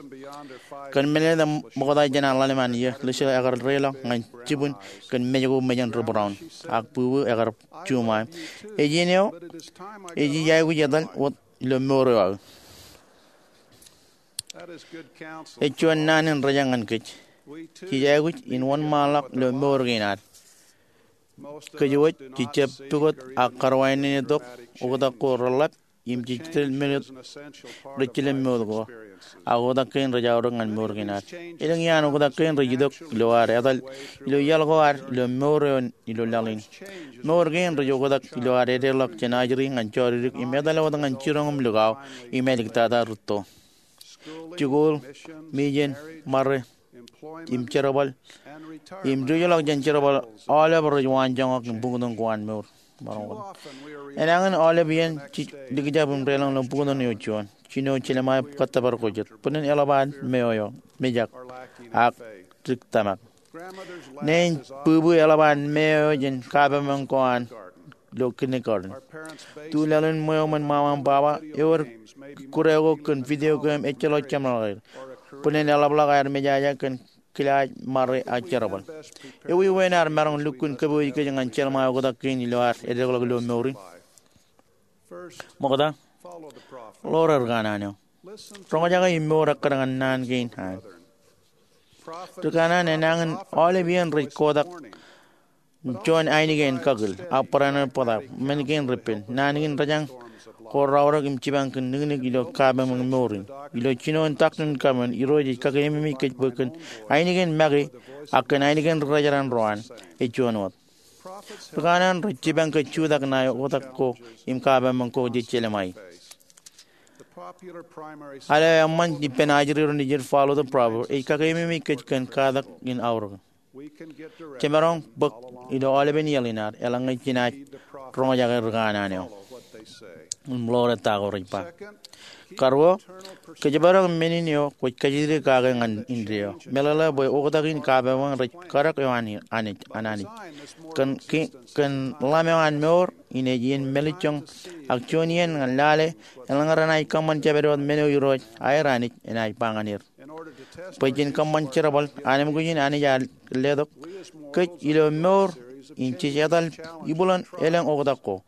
Kōn men eo ṃokta jān an ḷalem an iiō, Lucille ekar reiḷọk ñan jibwin kōn mej ko mejān ri-brown, ak bwibwi ekar juṃae. Ej in eo ej ij aikuj etal wōt ilo mour eo aō. Ej juon naan in rejak ñan kōj. Jej aikuj in wōnṃaanḷọk ilo mour kein ad. Kōj wōj jej jab pukot ak karuwainene tok oktak ko reḷap im jej tōl men eo rej jilōñ ṃoot ko, ak oktak kein rej aorōk ñan mour kein ad. Elōñ iaan oktak kein rej itok ilo ad etal ilo iaḷ ko ad ilo mour eo ilo laḷ in. Mour kein rej oktak ilo ad edeḷọk jān ajri ñan jọdikdik im etal wōt ñan jiroñ im likao im āliktata rūtto. Jikuuḷ, mijen, ṃare, im jerbal, im diwōjḷọk jān jerbal, aolep rej waanjoñak im buñtōn ko an mour. Enañin aolep iien jej likjab im deḷọñ ilo buñtōn eo juon. Jino jelṃae kōttōpar ko jet. Bōlen eḷap an meo eo, mejak, ak dik tōmak. Neen bwibwi eḷap an meo eo jān kapeṃṃan ko an ilo kindergarten. Tu laḷ in ṃweo ṃōn ṃaṃa im baba, ewōr kure ko kōn video game ejjeḷọk jeṃḷọk er. Bōlen eḷapḷọk aer mejaja kōn kilaaj, ṃare, ak jerbal. Ewi wāween ad maroñ lukkuun kōpooj kōj ñan jelṃae oktak kein ilo ad edeḷọk ilo mour in? Ṃokta, ḷoor ri kanaan eo. Roñjake im mour ekkar ñan naan kein an. Ri kanaan enañin aolep iien rej kotak juon ainikien kakūl, ak barāinwōt bōtab, men kein repen, naan kein rejañ ko raorōk im jipañ kōn niknik ilo kapeṃṃan mour in. Ilo jinoin Doctrine and Covenants, Irooj ej kakeememej kōj bwe kōn ainikien make, ak kōn ainikien ri-rajeraan ro an, ej juon wōt. Ri kanaan rej jipañ kōj jutak ṇae oktak ko im kapeṃṃan ko jej jelṃae. Al eo eṃṃan ippān ajri ro nejid Follow the Proverb ej kakeememej kōj kōn katak in aorōk. Jemaroñ bōk ilo aolepen iaḷ in ad eḷaññe jenaaj roñjake ri kanaan eo im ḷoor ta ko rej ba. Karuo, kōjparok men in eo kwōj kajjitōk kake ñan indeeo. Meḷeḷe bwe oktak in kapeṃṃan rej kadek eo an Anij, an Anij. Kōn, kōn ḷam eo an mour in ej iien mālejjoñ, ak juon iien ñan lale, eḷaññe renaaj kōṃṃan jabdewōt men eo Irooj aer Anij enaaj ba ñan er. Bwe jen kōṃṃan jerbal, anemkwōj in Anij ear letok kōj ilo mour in jej etal ibwilōn elōñ oktak ko,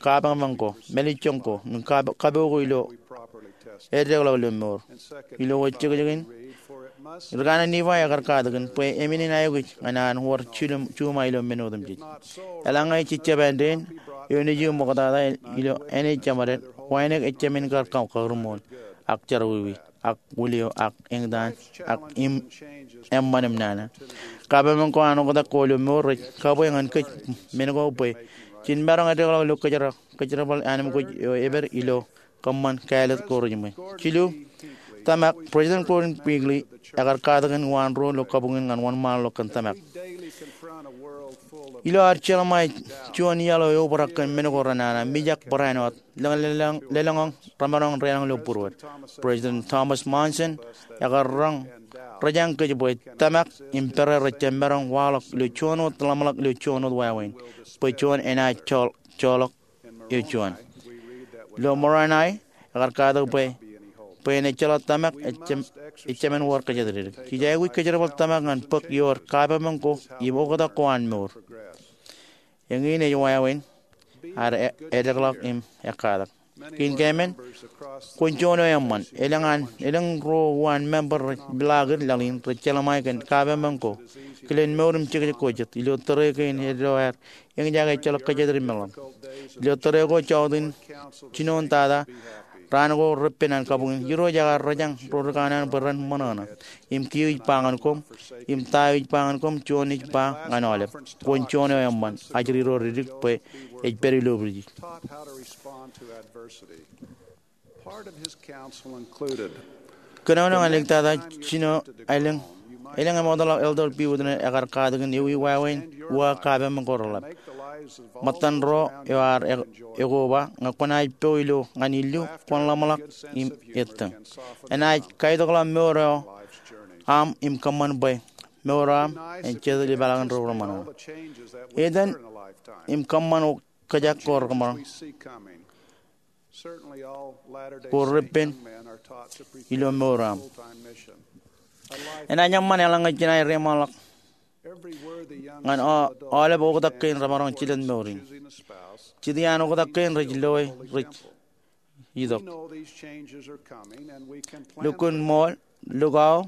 kapeṃṃan ko, mālejjoñ ko, im kab-, kapo ko ilo edeḷọk ilo mour. Ilo wōt jekjekin, ri kanaan Nifai ekar katakin bwe emān in aikuj ñan an wōr juṃae ilo men otemjej. Eḷaññe jej jab āindein, eo nejū ṃoktata ilo āne jeṃaden, wānōk ejāmin kar kaṃ-, karuṃoon, ak jerọwiwi, ak wūlio, ak eñtaan, ak im eṃṃan im nana. Kapeṃṃan ko an oktak ko ilo mour rej kabwe ñan kōj men ko bwe jen maroñ edeḷọk ilo kōjro-, kōjerbal anemkwōj eo epād ilo kōṃṃan kāālōt ko rejiṃwe. Jilu, tōmak, President Gordon B. Hinckley ekar katakin uwaan ruo ilo kabuñ in ñan wōnṃaanḷọk kōn tōmak. Ilo ad jeḷā ṃae juon iaḷ eo eobrak kōn men ko renana, mijak barāinwōt, lōñ, lōñ, lōñḷọk remaroñ deḷọñ ilo būruod. President Thomas Monson ekar roñ rejañ kōj bwe tōmak im pere rej jab maroñ waḷọk ilo juon wōt ḷōmṇak ilo juon wōt wāween, bwe juon enaaj joḷọk eo juon. Ilo Moroni, ekar katak bwe, bwe en ejjeḷọk tōmak, ejjab, ejjab en wōr kōjatdikdik. Jej aikuj kōjerbal tōmak ñan bōk ioer kapeṃṃan ko im oktak ko an mour. Eñin ej wāween ad e-, edekḷọk im ekkatak. Kein keemān, kwōn juon eo eṃṃan. Elōñ an, elōñ ro uwaan member rej laḷ kōn laḷ in rej jeḷā ṃae kōn kapeṃṃan ko, kilen mour im jekjek ko jet. Ilo tōre kein eddo ad eñjake ejjeḷọk kōjatdikdik meḷeḷe. Ilo tōre ko jọteen jinoin tata, raan ko repen an kabuñ in, Irooj ekar rejañ ro ri kanaan bwe ren ṃōṇōṇō. Im kiiō ij ba ñan koṃ, im ta eo ij ba ñan koṃ, juon ij ba ñan aolep. Kwōn juon eo eṃṃan, ajri ro dik bwe ej pād ilo prijin. Kōnono ñan āliktata jino aelōñ, elōñ emootḷọk Elder B. Woodruff ekar katakin ewi wāween uwaak kapeṃṃan ko reḷap. Ṃōttan ro eo ear e-, ekoba, ñe kwōnaaj po ilo ñan illu, kwōn ḷōmṇak im ettōñ. Enaaj kaitokḷọk mour eo aṃ im kōṃṃan bwe mour eo aṃ en jet ippaḷọk in ro reṃōṇōṇō. Etan im kōṃṃan kōjak ko reṃōṇō ko repen ilo mour eo aṃ. Enaaj eṃṃan eḷaññe jenaaj reiṃaanḷọk ñan a-, aolep oktak kein remaroñ jilet mour in. Jet iaan oktak kein rej loe rej itok. Lukkuun ṃool, lukao,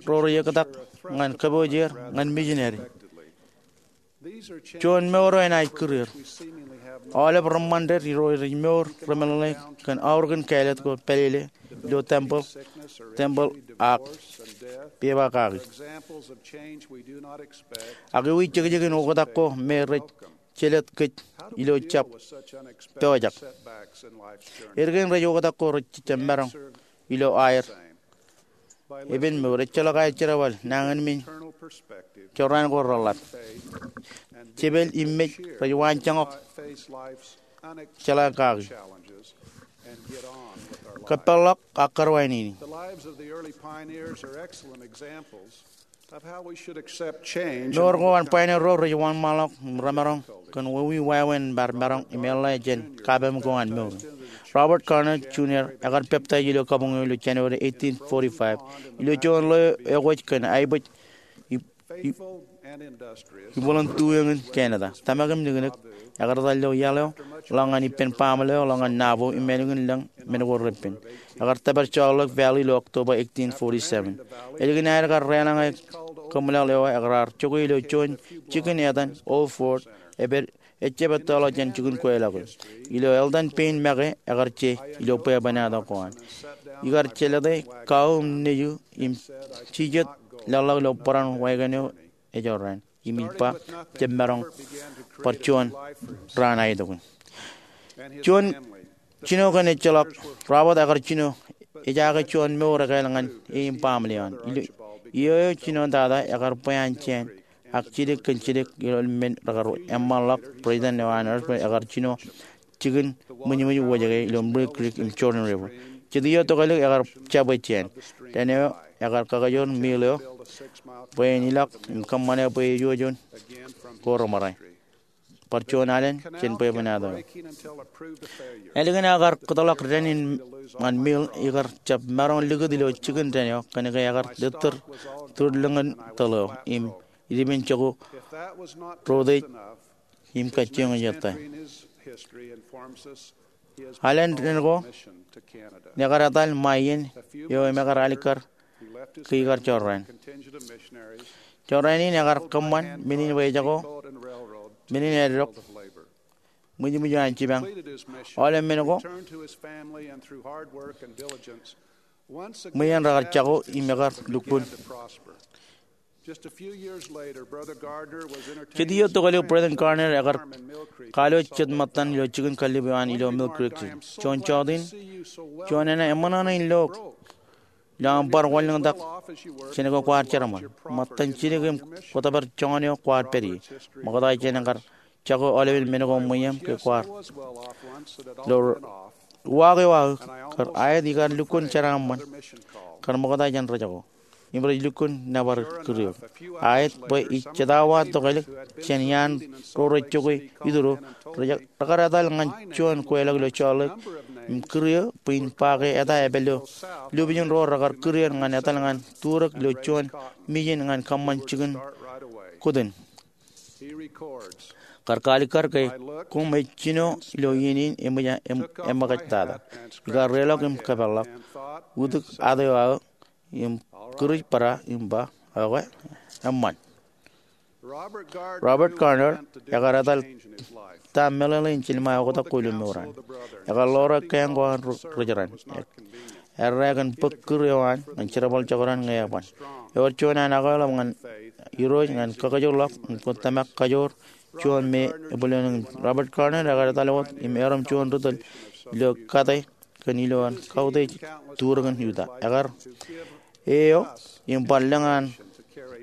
ro rej oktak ñan kōpoojeer, ñan misineri. Juon mour eo enaaj kūr er. Aolep reṃṃan ded ro rej mour remeḷeḷe kōn aorōkin kāālōt ko pālele ilo tempeḷ, tempeḷ ak pepa kaki. Ak ewi jekjekin oktak ko me rej jelōt kōj ilo jab pojak. Erkein rej oktak ko rej jab maroñ ilo aer epen mour, ejjeḷọk aer jerbal nañinmej jorrāān ko reḷap. Jepel im mej rej waanjoñak jeḷā kaki. Kōpeḷḷọk ak kōrā wāween in. Mour ko an pioneer ro rej wōnṃaanḷọk im remaroñ kōn ewi wāween bar maroñ im eḷḷā jān kapeṃ ko an mour. Robert Conner Junior ekar peptaij ilo kabuñ eo ilo January eighteen forty-five ilo juon ḷeo eo kwōj kōn aebōj i-, i-, ibwilōñ tu eñin Canada. Tōmak im niknik ekar etal ilo iaḷ eo ḷọk ñan ippān baaṃle eo ḷọk ñan Nauvoo im ālikin lōñ men ko repen. Ekar tōpar Salt Lake Valley ilo October eighteen forty-seven. Ālikin aer kar deḷọñe kōmeḷeḷe eo ekar ar jokwe ilo juon jikin etan Old Fort, ej pād, ejjab ettoḷọk jān jikin kweilọk eo. Ilo Eldon Payne make ekar je ilo bwebwenato ko an. Ikar jelōte kau im neju im jijet leḷọk ilo bōran wagon eo ejorrāān. Im ij ba, jab maroñ bar juon raan aetok in. Juon jino kōn ejjeḷọk, Robert ekar jino, ejaake juon mour ekāāl ñan e im baaṃle eo an. Ilo, ilo jinoin tata ekar bwe an jāān, ak jidik kōn jidik ilo men rekar eṃṃanḷọk, President eo an Earth ekar jino jikin ṃwijṃwij wōjke ilo Mill Creek im Jordan River. Jet iiō tokālik ekar jabwe jāān. Dān eo ekar kakajoor mill eo bwe en ilọk im kōṃṃane bwe ejjo juon ko reṃōrā. Bar juon alen jān bwebwenato eo. Ālikin aō kar kōtḷọk dān in ñan mill, ikar jab maroñ likūt ilo jikin dān eo kōnke ekar tōttōr tūr lōñin tōl eo im idipen jako rotej im kajjioñ eo ettā. Alen dān ko, ñe ekar etal ṃae iien eo im ekar alikkar ke ikar jorrāān. Jorrāān in ekar kōṃṃan men in bwe e jako men in aedok ṃwijṃwij eo an jipañ. Aolep men ko, ṃweien rekar jako im ekar lukkuun Jet iiō tokālik, Brother Gardner ekar kwaḷọk jet ṃōttan ilo jikin kallib eo an ilo Mill Creek. Juon jọteen, juon eṇ eṃṃan ṇe in lo ilo aṃ bar wanlōñtak jān ko kwaar jeraṃṃan. Ṃōttan jidik im kwō tōpar joñan eo kwaar pād ie. Ṃokta jān kar jako aolepen men ko ṃweiem ke kwaar lo uwaak eo aō kar aet ikar lukkuun jeraaṃṃan kar ṃokta jān rejako im rej lukkuun nōbar kūr eo. Aet bwe ij jetawa tokālik jān iaan ro rej jokwe ituro rekar etal ñan juon kweilọk ilo Salt Lake im kūr eo bwe in ba ke eta epād ilo lubin ro rekar kūr er ñan etal ñan turōk ilo juon mijen ñan kōṃṃan jikin kutōn. Kar kaalikkar ke koṃ ej jino ilo iien in eṃōj, eṃōj tata. Ikar reḷọk im kōpeḷḷọk, utōk at eo aō im kūrij bōra im ba, "Ekwe, eṃṃan." Robert Gardner ekar etal ta meḷeḷe in jilṃae oktak ko ilo mour an. Ekar ḷoor kein ko an ri-, ri-jeran. Errā kōn bōk kūr eo an ñan jerbal jekdọọn ñe eban. Ewōr juon an akoḷap ñan Irooj ñan kakajoorḷọk im kwō tōmak kajoor juon me ebōlen. Robert Gardner ekar etal wōt im erom juon ri-tōl ilo kate kōn ilowaan kautiej turōkin Utah. Ekar eo im bar lōñ an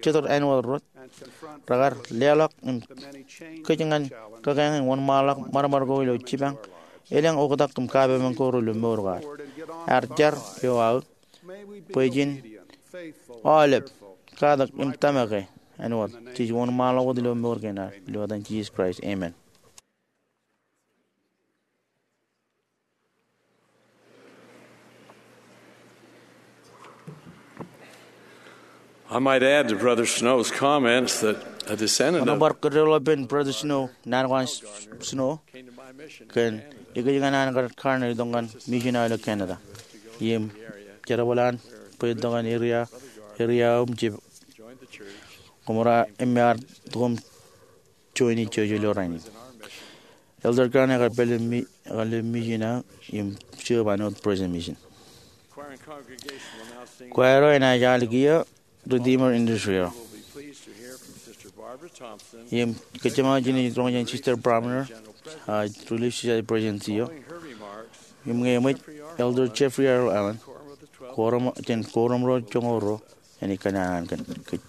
jetōb āinwōt rot rekar leḷọk im kōj ñan kōkeañ in wōnṃaanḷọk ṃarṃar ko ilo jipañ, elōñ oktak im kapepen ko ilo mour ko ad. Ear jar eo aō bwe jen aolep, katak im tōmak e āinwōt jej wōnṃaanḷọk wōt ilo mour kein ad. Ilo etan Jisōs Kraist, amen. I might add to Brother Snow's comments that a descendant of Bar kōddoḷọk ippān Brother Snow, naan ko an Snow, kōn ekōjkan an Gardner itok ñan mission eo ilo Canada. Im jerbal an bwe itok ñan area, area eo im jib. Koṃro ear, im ear tok im join e church ilo rainin. Elder Gardner ekar pād ilo mi-, ekar ilo mission eo im serve āinwōt president mission. Choir eo enaaj al kiiō Redeemer in Israel. Im kōjjemān eo jenaaj roñ jān Sister Bromner, uh, Relief Society President eo. Im ñe eṃōj, Elder Jeffrey Arnold Allen, quorum, jān quorum ro joñoul ruo, enaaj kōṇaan kōn kōj.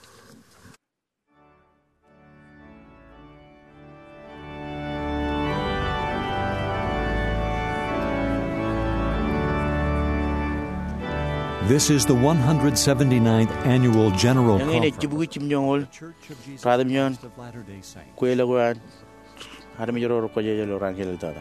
This is the one hundred seventy-ninth Annual General Conference. Eñin ej jibukwi jimjuonñoul, ratimjuon kweilọk eo an armej ro rej kwōjarjar ilo raan kein ilo tata.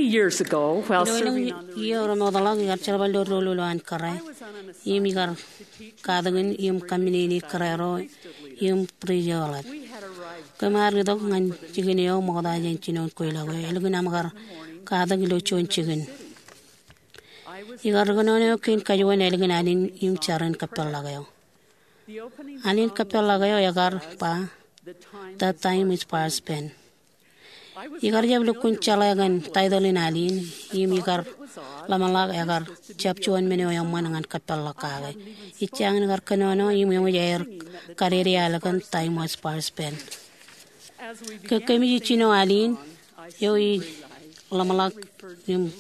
Years ago, while Ilo elōñ serving on the iiō remootḷọk ikar jerbal ilo doulul eo an kōrā, im ikar katakin im kōmmeneini kōrā ro im bridge eo eḷap. Kōm ar itok ñan jikin eo ṃokta jān jinoin kweilọk eo, ālikin aṃ kar katak ilo juon jikin. Ikar rikōnono kein kajuon ālikin alin im jar in kōpeḷḷọk eo. Alin kōpeḷḷọk eo ekar ba, "The time is far spent." Ikar jab lukkuun jeḷā kōn title in alin, im ikar ḷōmṇak ekar jab juon men eo eṃṃan ñan kōpeḷḷọk kake. Ij jañin kar kōnono im eṃōj aer kadede al kōn "Time was far spent." Ke kōmij jino alin eo, ij ḷōmṇak im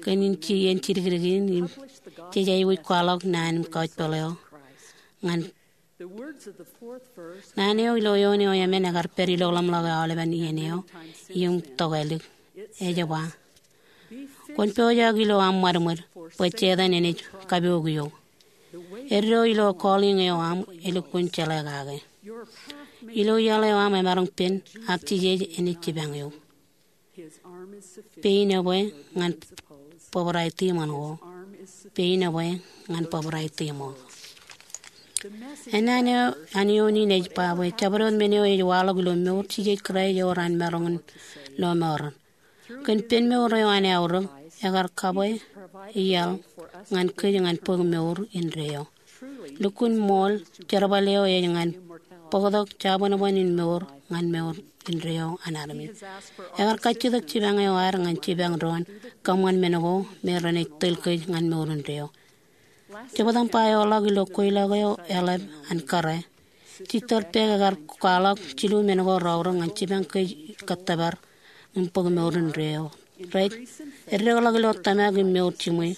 kōn in jidikdik in, im jej aikuj kwaḷọk naan im gospel eo ñan Naan eo ilo eoon eo emān ekar pād ilo ḷōmṇak eo aolepen iien eo im tokālik. Ej ba, "Kwōn pojak ilo aṃ ṃadṃōd, bwe Setan enaaj kapook eok. Eddo ilo calling eo aṃ elukkuun jeḷā kake. Ilo iaḷ eo aṃ emaroñ pen, ak Jisōs enaaj jipañ eok. Pein ebwe ñan bōbrae tiṃoṇ ko. Pein ebwe ñan bōbrae tiṃoṇ ko." Ennaan eo an eoon in ej ba bwe jabdewōt men eo ej waḷọk ilo mour Jisōs Kraist ewōr an maroñ in lọmọọren. Kōn pen mour eo an aorōk, ekar kabwe iaḷ ñan kōj ñan bōk mour indeeo. Lukkuun ṃool, jerbal eo ej ñan bōktok jabōnbōn in mour ñan mour indeeo an armej. Ekar kajjitōk jipañ eo ad ñan jipañ doon kōṃṃan men ko me renaaj tōl kōj ñan mour indeeo. Jebta im ba eḷọk ilo kweilọk eo eḷap an kōrā, Sister Beck ekar kwaḷọk jilu men ko reaorōk ñan jipañ kōj kōttōpar im bōk mour indeeo. Rej eddekḷọk ilo tōmak im mour jiṃwe,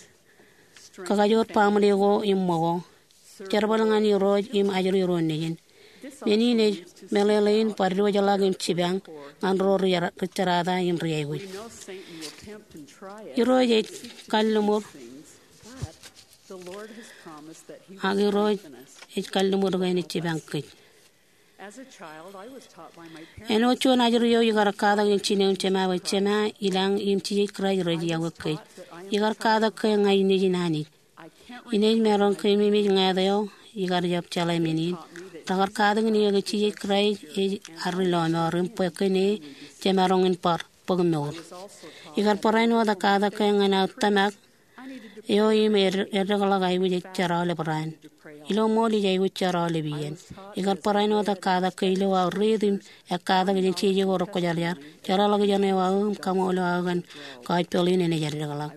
kakajoor baaṃle ko im ṃōko, jerbal ñan Irooj im ajri ro nejin. Men in ej meḷeḷein bar diwōjḷọk im jipañ ñan ro ri jerata im ri aikuj. Irooj ej kalliṃur, ak Irooj ej kalliṃur ke enaaj jipañ kōj. Āinwōt juon ajri eo ikar katak jān jinen jema bwe jema ilañ im Jisōs Kraist rej yokwe kōj. Ikar katak ke ña ij nejin Anij. Inaaj maroñ keememej ñāāt eo ikar jab jeḷā men in. Rekar katakin eō ke Jisōs Kraist ej arri lọmọọr im bwe kōn e jemaroñ in bar bōk mour. Ikar barāinwōt katak ke ñan aō tōmak eo im ed-, eddekḷọk aikuj ej jar aolep raan. Ilo ṃool ij aikuj jar aolep iien. Ikar barāinwōt katak ke ilo aō riit im ekkatak jān jeje ko rekwōjarjar, jeḷāḷọkjeṇ eo aō im kaṃṃoolol eo aō kōn gospel in enaaj eddekḷọk.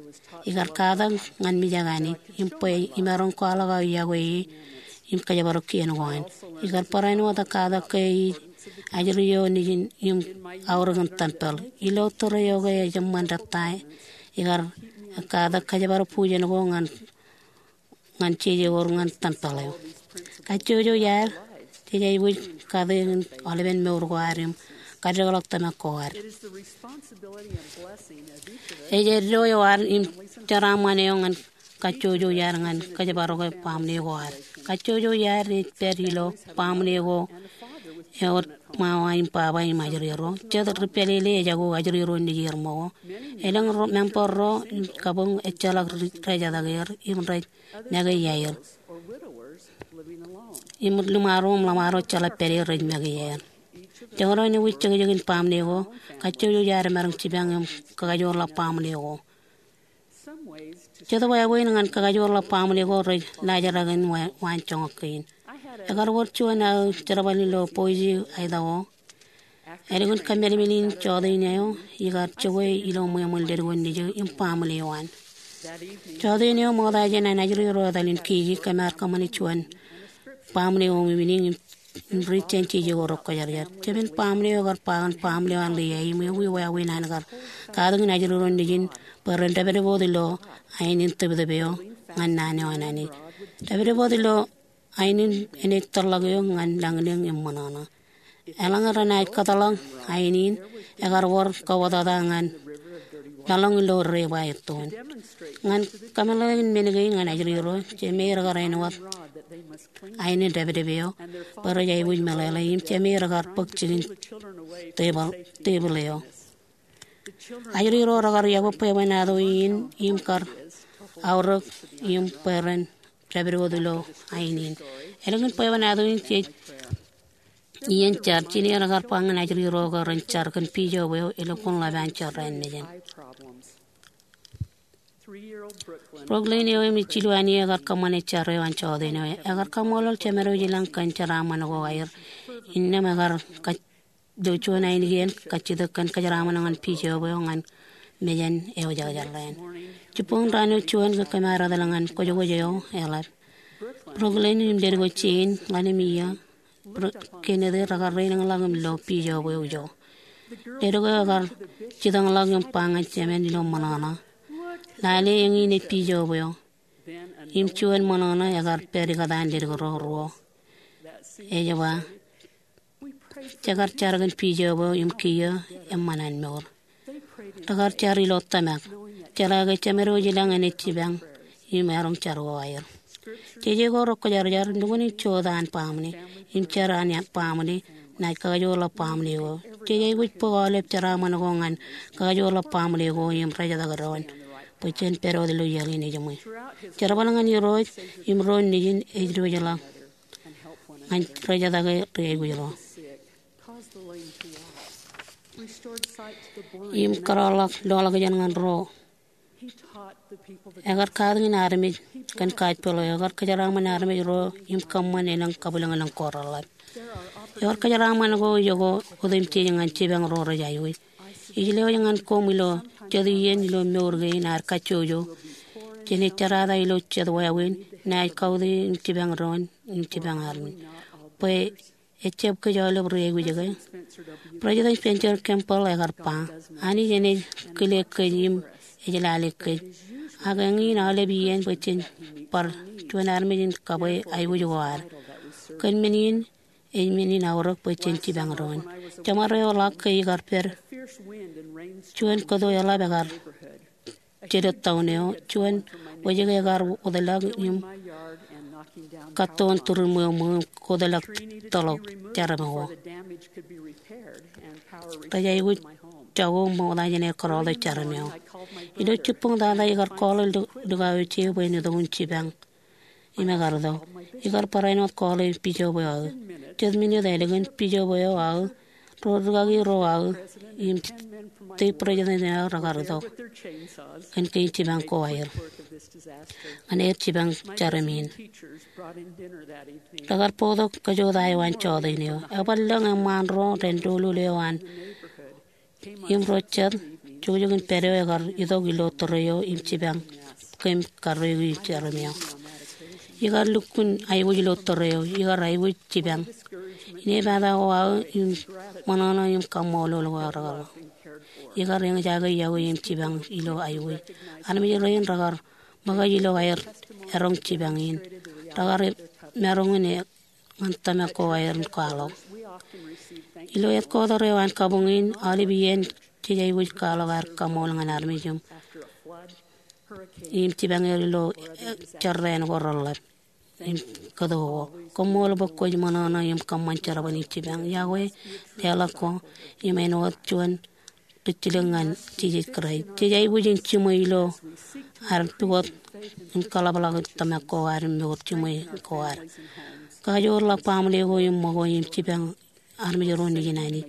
Ikar katak ñan mijak Anij im bwe imaroñ kwaḷọk aō yokwe e im kōjparok kien ko an. Ikar barāinwōt katak ke ij ajri eo nejin im aorōk in tempel. Ilo tōre eo ke ejeṃṃan ta, ikar katak kōjparok bujen ko ñan, ñan jeje ko ñan tempel eo. Kajjojo iaad, jej aikuj kate in aolepen mour ko ad im kaddekḷọk tōmak ko ad. Ej eddo eo ad im jeraaṃṃan eo ñan kajjojo iaad ñan kōjparoke baaṃle ko ad. Kajjojo iaad ej pād ilo baaṃle ko ewōr ṃawa im baba im ajri ro. Jet ri pālele ejako ajri ro nejier ṃōko. Elōñ ro, member ro im kabuñ ejjeḷọk ri, rejatak er im rej make iaer. Im ḷōṃaro im ḷōṃaro jeḷā pād er rej make iaer. Jekdọọn ewōr jekjekin baaṃle ko, kajjojo iaad emaroñ jipañ im kakajoorḷọk baaṃle ko. Jet wāween ñan kakajoorḷọk baaṃle ko rej laajrak in wa-, waanjoñak kein. Ekar wōr juon aō jerbal ilo Boise, Idaho. Ālikin kōmmeḷeḷe in jọteen eo, ikar jokwe ilo ṃweo ṃōn leddik ko nejū im baaṃle eo an. Jọteen eo ṃokta jān an ajri ro etal in kiki, kōm ar kōṃṃane juon baaṃle eo wūnin im im riit jān jeje ko rekwōjarjar. Jeban baaṃle eo ekar ba kōn baaṃle eo an Lehi im ewi wāween an kar katakin ajri ro nejin bwe ren dāpdepot ilo ain in tōptōp eo ñan naan eo an Anij. Dāpdepot ilo ain in enaaj tōrḷọk eok ñan lañlōñ im ṃōṇōṇō. Eḷaññe renaaj kōtḷọk ain in, ekar wōr kowōtata ñan laḷoñ ilo ri ba ettoon. Ñan kōmeḷeḷein men kein ñan ajri ro, jemāer ekar āinwōt ain in dāpdep eo, bwe rej aikuj meḷeḷe, im jemāer ekar bōk jikin tebōḷ, tebōḷ eo. Ajri ro rekar yokwe bwebwenato in im kar aorōk im bwe ren dāpid wōt ilo ain in. Ālikin bwebwenato in jej iien jar, jined rekar ba ñan ajri ro ke ren jar kōn pijo bwe eo eḷukkuun ḷap an jorrāān mejān. Brooklyn eo im ej jilu annie ekar kōṃṃane jar eo an jota in eo. Ekar kaṃṃoolol Jemedwōj ilañ kōn jeraaṃṃan ko aer. Innām ekar kajjitōk juon ainikien kajjitōk kōn kōjeraaṃṃan ñan pijo bwe eo ñan mejān eo ejjeḷọk. Jibboñ raan eo juon ke kōm ar etal ñan kwōjkwōj eo eḷap. Brooklyn im ledik eo Jane, ḷalem iiō, Kenneth rekar rein ḷọk im lo pijo bwe eo ijo. Ledik eo ekar jitōñḷọk im ba ñan jemān ilo ṃōṇōṇō, "Lale, eñin ej pijo bwe eo." Im juon ṃōṇōṇō ekar pād ikōtaan ledik ro ruo. Ej ba, "Jekar jar kōn pijo bwe eo im kiiō eṃṃan an mour." Rekar jar ilo tōmak, jeḷā ke Jemedwōj ilañ enaaj jipañ im erom jar ko aer. Jeje ko rekwōjarjar, nukun in jota an baaṃle im jar an baaṃle naaj kakajoorḷọk baaṃle ko. Jej aikuj bōk aolep jeraaṃṃan ko ñan kakajoorḷọk baaṃle ko im rejetake doon bwe jen pād wōt ilo iaḷ in ejiṃwe. Jerbal ñan Irooj im ro nejin ej diwōjḷọk ñan rejetake ri aikuj ro im kōrọọlḷọk loḷọkjeṇ ñan ro. Ekar katakin armej kōn gospel eo. Ekar kōjeraaṃṃan armej ro im kōṃṃan elōñ kabwilōñlōñ ko reḷap. Ewōr kōjeraaṃṃan ko ijo ko otemjej ñan jipañ ro rej aikuj. Ij lewōj ñan koṃ ilo jet iien ilo mour kein ad kajjojo, jenaaj jerata ilo jet wāween, naaj kautiej im jipañ doon im jipañ armej. Bwe ejjab kōj aolep ri aikuj ke? President Spencer Kimball ekar ba, Anij enaaj kile kōj im ej lale kōj. Ak eñin aolep iien bwe jen bar juon armej in kabwe aikuj ko ad. Kōn men in, ej men in aorōk bwe jen jipañ doon. Jeṃaer eo ḷak ke ikar pād, juon kōto eḷap ekar jelōt town eo, juon wōjke ekar wōtlọk im kattoon turin ṃweo ṃweo im kōtḷọk tōḷọk jarom ko. Rej aikuj jako ṃokta jān aer kōrọọltok jarom eo. Ilo jibboñ tata ikar call e likao eo je bwe en itok in jipañ im ekar itok. Ikar barāinwōt call e pijo bwe eo aō. Jet minit ālikin pijo bwe eo aō, ro rūkaki ro aō im stake president eo aō rekar itok kōn kein jipañ ko aer ñan aer jipañ jarom in. Rekar bōktok kōjota eo an jota in eo. Ebar lōñ eṃṃaan ro ren doulul eo an im ro jet jukjuk in pād eo ekar itok ilo tōre eo im jipañ kōm karreoiki jarom eo. Ikar lukkuun aikuj ilo tōre eo, ikar aikuj jipañ. Inepata ko aō im ṃōṇōṇō im kaṃṃoolol ko aō rekar ḷọk. Ikar eñjake iọkwe im jipañ ilo aikuj. Armej rein rekar ṃōkaj ilo aer eroñ jipañ in. Rekar maroñ in ñan tōmak ko aer in kwaḷọk. Ilo headquarter eo an kabuñ in, aolep iien jej aikuj kwaḷọk ad kaṃool ñan armej im, im jipañ er ilo, eh, jorrāān ko reḷḷap im kōto ko. Koṃṃool bwe kwōj ṃōṇōṇō im kōṃṃan jerbal in jipañ. Iọkwe, leḷọk ko, im āinwōt juon ri jilōk ñan Jisōs Kraist. Jej aikuj in jiṃwe ilo ad pukot im kaḷapḷọk tōmak ko ad im mour jiṃwe ko ad. Kajoorḷọk baaṃle ko im ṃōko im jipañ armej ro nejin Anij.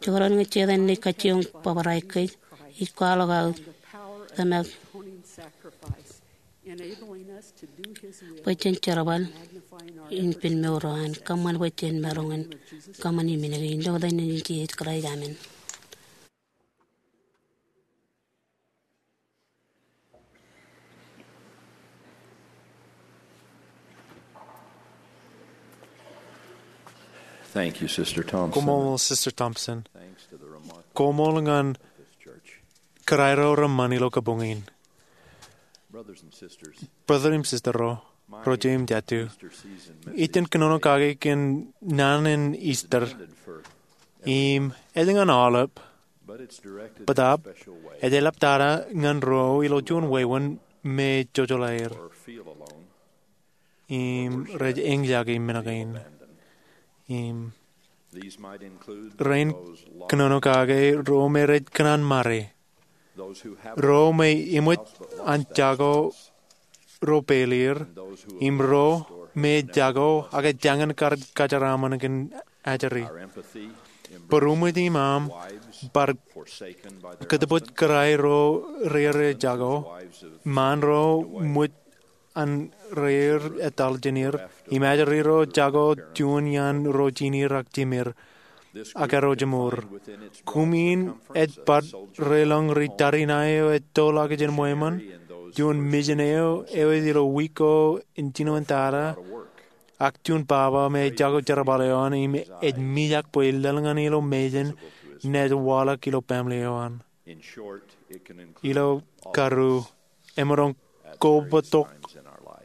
Jekdọọn ñe Setan enaaj kajjioñ bōbrae kōj, ij kwaḷọk aō tōmak bwe jen jerbal in pen mour eo an. Kōṃṃan bwe jen maroñ in kōṃṃan men kein. Ilo etan in Jisōs Kraist, amen. Thank you, Sister Thompson. Koṃṃool, Sister Thompson. Thanks to the remarkable Koṃṃool ñan kōrā ro reṃṃan ilo kabuñ in. Brother im sister ro, ro jet im jatū. Ij iten kōnono kake kōn naan in Easter im ej ñan aolep, bōtaab ej eḷaptata ñan ro ilo juon wāween me jojoḷā er im rej eñjake men kein im Rein kōnono kake ro me rej kōṇaan ṃare, ro me eṃōj an jako ro pālier, im ro me ej jako ak ej jañin kar kōjeraaṃṃan kōn ajri. Būruṃwij im aṃ bar kōttōpoj kōrā ro rear jako, ṃaan ro ṃōj an rear etal jān er, im ajri ro jako juon iaan ro jeiū ak jimeer ak erooj ṃour. Koṃ in ej bar reilọñ ri tariṇae eo ettoḷọk jān ṃweo ṃōn, juon mejān eo eo ej ilo wiik ko in jinoin tata, ak juon baba me ej jako jerbal eo an im ej mijak bwe en lōḷñọñ ilo mejān ṇe ej waḷọk ilo baaṃle eo an. Ilo karuo, emaroñ kobatok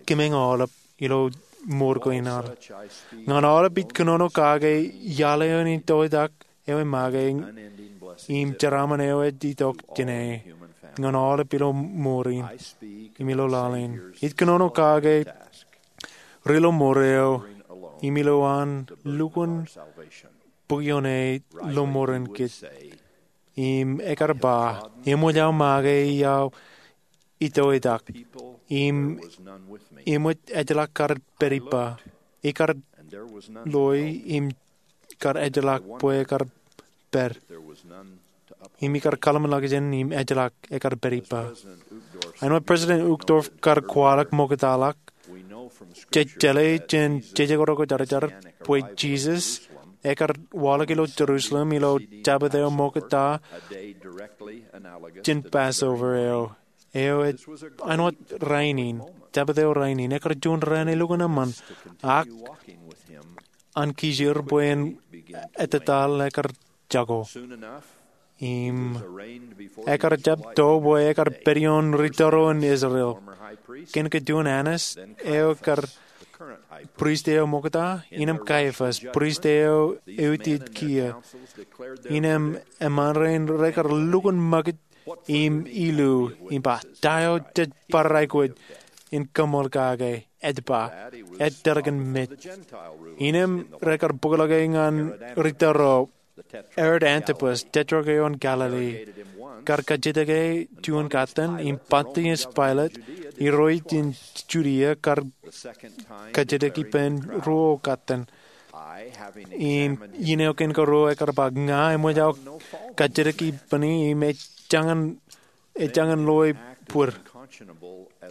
kōmeañ aolep ilo mour kein ad. Ñan aolep ij kōnono kake iaḷ eo in itoitak eo make im jeraaṃṃan eo ej itok jāne ñan aolep ilo mour in im ilo laḷ in. Ij kōnono kake ri ilo mour eo im ilo an lukkuun bōk ioon e ilo mour in kōj. Im ekar ba, eṃōj aō make iaḷ itoitak, im eṃōj ejjeḷọk kar pād ippa. Ikar loi im kar ejjeḷọk bwe ekar pād, im ikar kōḷmānḷọkjeṇ im ejjeḷọk ekar pād ippa. Āinwōt President Uchtdorf kar kwaḷọk ṃoktaḷọk, jej jeḷā jān jeje ko rokojerajer bwe Jisōs ekar waḷọk ilo Jerusalem ilo Jabōt eo ṃokta jān Passover eo, eo ej āinwōt rainin, Jabōt eo rainin. Ekar juon raan elukkuun eṃṃan, ak an kijir bwe en ettōtaḷ ekar jako. Im ekar jab to bwe ekar pād ioon ritōro in Israel. Kōn kōn juon Anas eo ekar priest eo ṃokta, innem Kaiapas, priest eo eutiej kiiō. Innem eṃṃaan rein rekar lukkuun ṃakūt im ilu im ba, ta eo jej bar aikuj in kaṃool kake? Ej ba, ej tōl kōn mej. Innem rekar bōkḷọk e ñan ritōro, Herod Antipas, tetrarch eo an Galili, kar kajjitōk e juon katten, im Pontius Pilate, irooj in Judia, kar kajjitōk ippān ruo katten. Im iien eo kein karuo ekar ba, ña eṃōj aō kajjitōk ippān, im ejjañin loi bwir.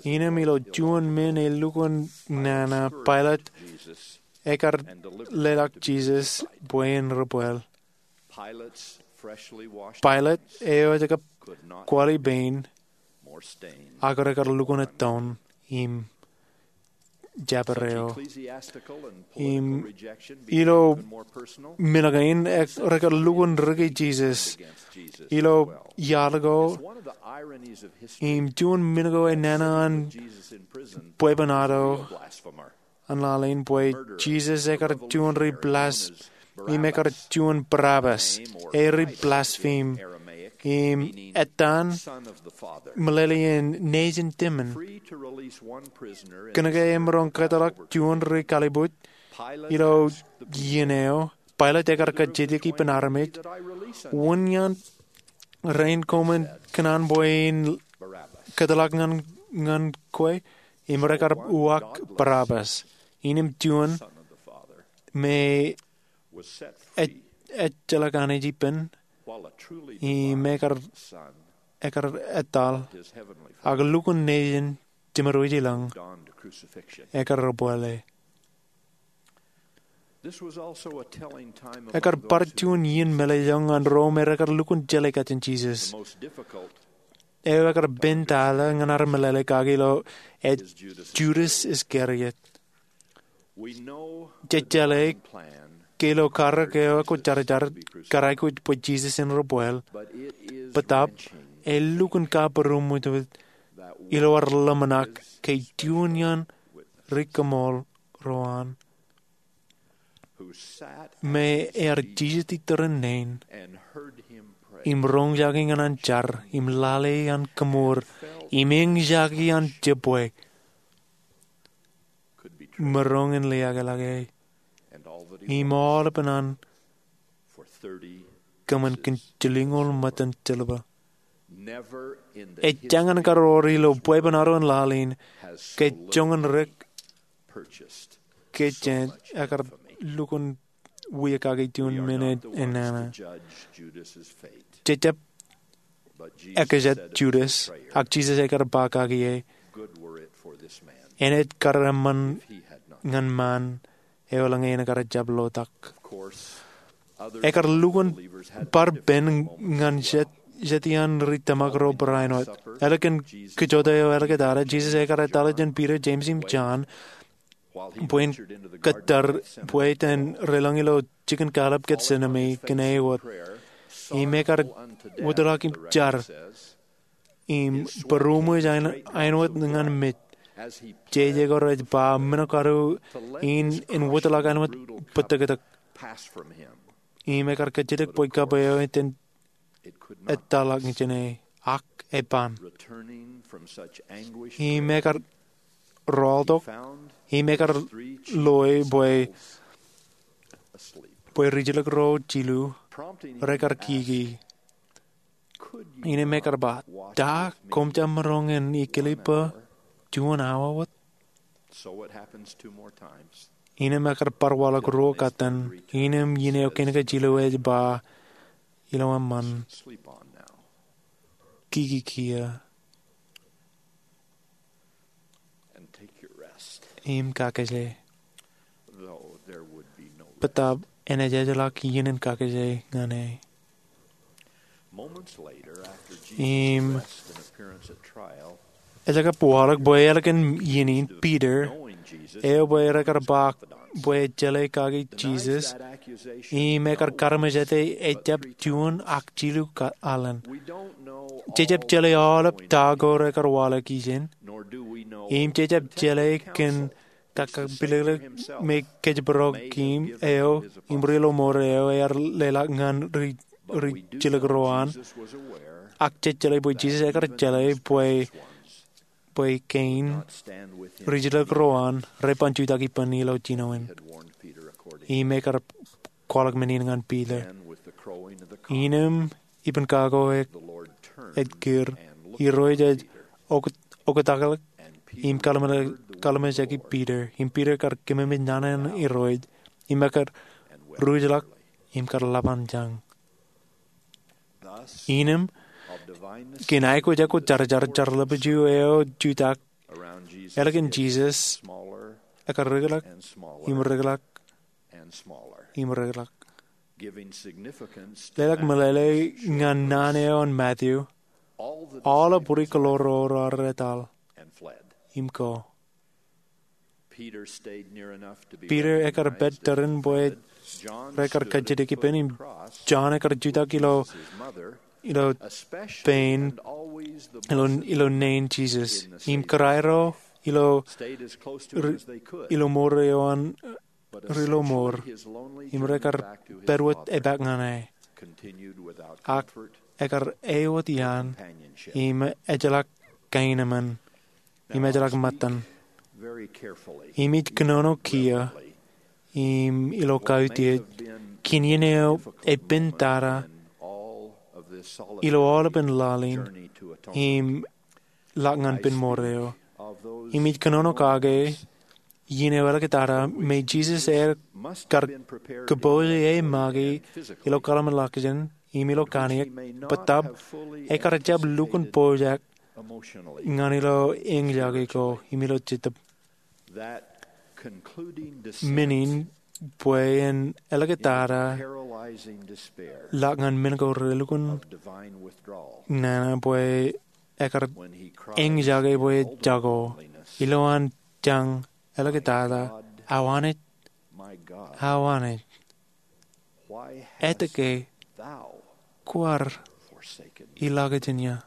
Innem ilo juon men elukkuun nana, Pilate ekar leḷọk Jisōs bwe en rebwāāl. Pilate eo ej kab kwali pein, ak rekar lukkuun ettoon im jabdewōt eo. Im ilo men kein, rekar lukkuun riki Jisōs. Ilo iaḷ ko, im juon men ko enana an bwebwenato an laḷ in, bwe Jisōs ekar juon ri blas- im ekar juon Barabbas, e ri blaspheme, im ettaan meḷeḷein nejin timin. Kōnke emaroñ kōtḷọk juon ri kalbuuj ilo iien eo, Pilate ekar kajjitōk ippān armej, wōn iaan rein koṃwin kōṇaan bwe in kōtḷọk ñan kwe? Im rekar uwaak Barabbas, innem juon me ejjeḷọk Anij ippān, im ekar etal, ak lukkuun nejin jimetwōj ilañ ekar rebwāāle. Ekar bar juon iien meḷeḷe ñan ro me rekar lukkuun jeḷā kajin Jisōs. Eo ekar pen tata ñan ad meḷeḷe kake ilo ej Judas Iskariot. Jej jeḷā ke ilo karōk eo ekwōjarjar kar aikuj bwe Jisōs en rebwāāl, bōtaab elukkuun kabūroṃōj ilo ad ḷōmṇak ke juon iaan ri kaṃool ro an me ear jijet iturūn nein im roñjake ñan an jar im lale an kōmour im eñjake an jebwe, maroñ in liaakḷọk e im aolepān an kōṃṃan kōn jilñoul ṃōttan silver. Ejjañin kar wor ilo bwebwenato in laḷ in ke joñan rik ke jān ekar lukkuun wie kaki juon men eo enana. Jejjab ekōjat Judas, ak Jisōs ekar ba kaki e, enaaj kar eṃṃan ñan ṃaan eo eḷaññe en kar jab lotak. Ekar lukkuun bar pen ñan jet, jet iaan ri tōmak ro barāinwōt. Ālikin kajjojo eo āliktata, Jisōs ekar etal jān Piter, Jemes im Jon bwe en kōttar bwe iten relōñ ilo jikin kaḷap Getsemane kōn aiwōt. Im ekar wōtlọk im jar im būroṃōj āinwōt ñan mej. Jeje ko rej ba men kadu in en wōtlọk āinwōt bōtōktōk. Im ekar kajjitōk bwe kab eo iten etōḷọk jāne, ak eban. Im ekar rọọltok, im ekar loe bwe, bwe rijjelōk ro jilu rekar kiki. Innem ekar ba, Ta koṃ jab maroñ in ikili bwe juon awa wōt? Innem ekar bar waḷọk ruo katten, innem iien eo kein ke jilu ej ba, Ilo eṃṃan, kiki kiiō im kakōje. Bōtab enaaj ejjeḷọk iien in kakōje ñan e. Im ejjab waḷọk bwe ālikin iien in, Piter, eo bwe rekar ba bwe ej jeḷā kaki Jisōs, im ekar kōrṃōjete ejjab juon ak jilu alen. Jejjab jeḷā aolep ta ko rekar waḷọk ijin, im jejjab jeḷā kōn kakapilōklōk me kōjparok im eo im ri lọmọọr eo ear leḷọk ñan ri, ri jilkinro an. Ak jej jeḷā bwe Jisōs ekar jeḷā bwe, bwe kein ri jilkinro an rej ban jutak ippān ilo jino in. Im ekar kwaḷọk men in ñan Piter. Innem ippān kako ej kūr, Irooj ej oktakḷọk im kallimjeki Piter. Im Piter kar kōmemej naan an Irooj, im ekar ruj ḷọk im kar ḷap an jañ. Innem, kōn aikuj ekwe jarjar, jar ḷapij eo jutak ālikin Jisōs ekar rikḷọk im rikḷọk im rikḷọk. Leḷọk meḷeḷe ñan naan eo an Matu, aolep ri kōḷoor ro ar etal im ko. Piter ekar pād tōre in bwe rekar kajjitōk ippān, im Jon ekar jutak ilo, ilo pein, ilo, ilo nein Jisōs, im kōrā ro ilo, ri, ilo mour eo an ri lọmọọr, im rekar pād wōt epaak ñan e. Ak ekar āinwōt iaan, im ejjeḷọk kaenōṃṃan, im ejjeḷọk ṃōttan. Im ij kōnono kiiō, im ilo kautiej, kōn iien eo epen tata ilo aolepān laḷ in, im ḷọk ñan pen mour eo. Im ij kōnono kake, iien eo āliktata, me Jisōs ekar kōpooj e make ilo kaḷmenḷọkjeṇ im ilo kaniōk, bōtab ekar jab lukkuun pojak ñan ilo eñjake ko im ilo jetōb men in, bwe en āliktata ḷọk ñan men ko relukkuun nana bwe ekar eñjake bwe e jako. Ilowaan jañ āliktata, Awa Anij, Awa Anij, etke kwaar ilọk jān iaer?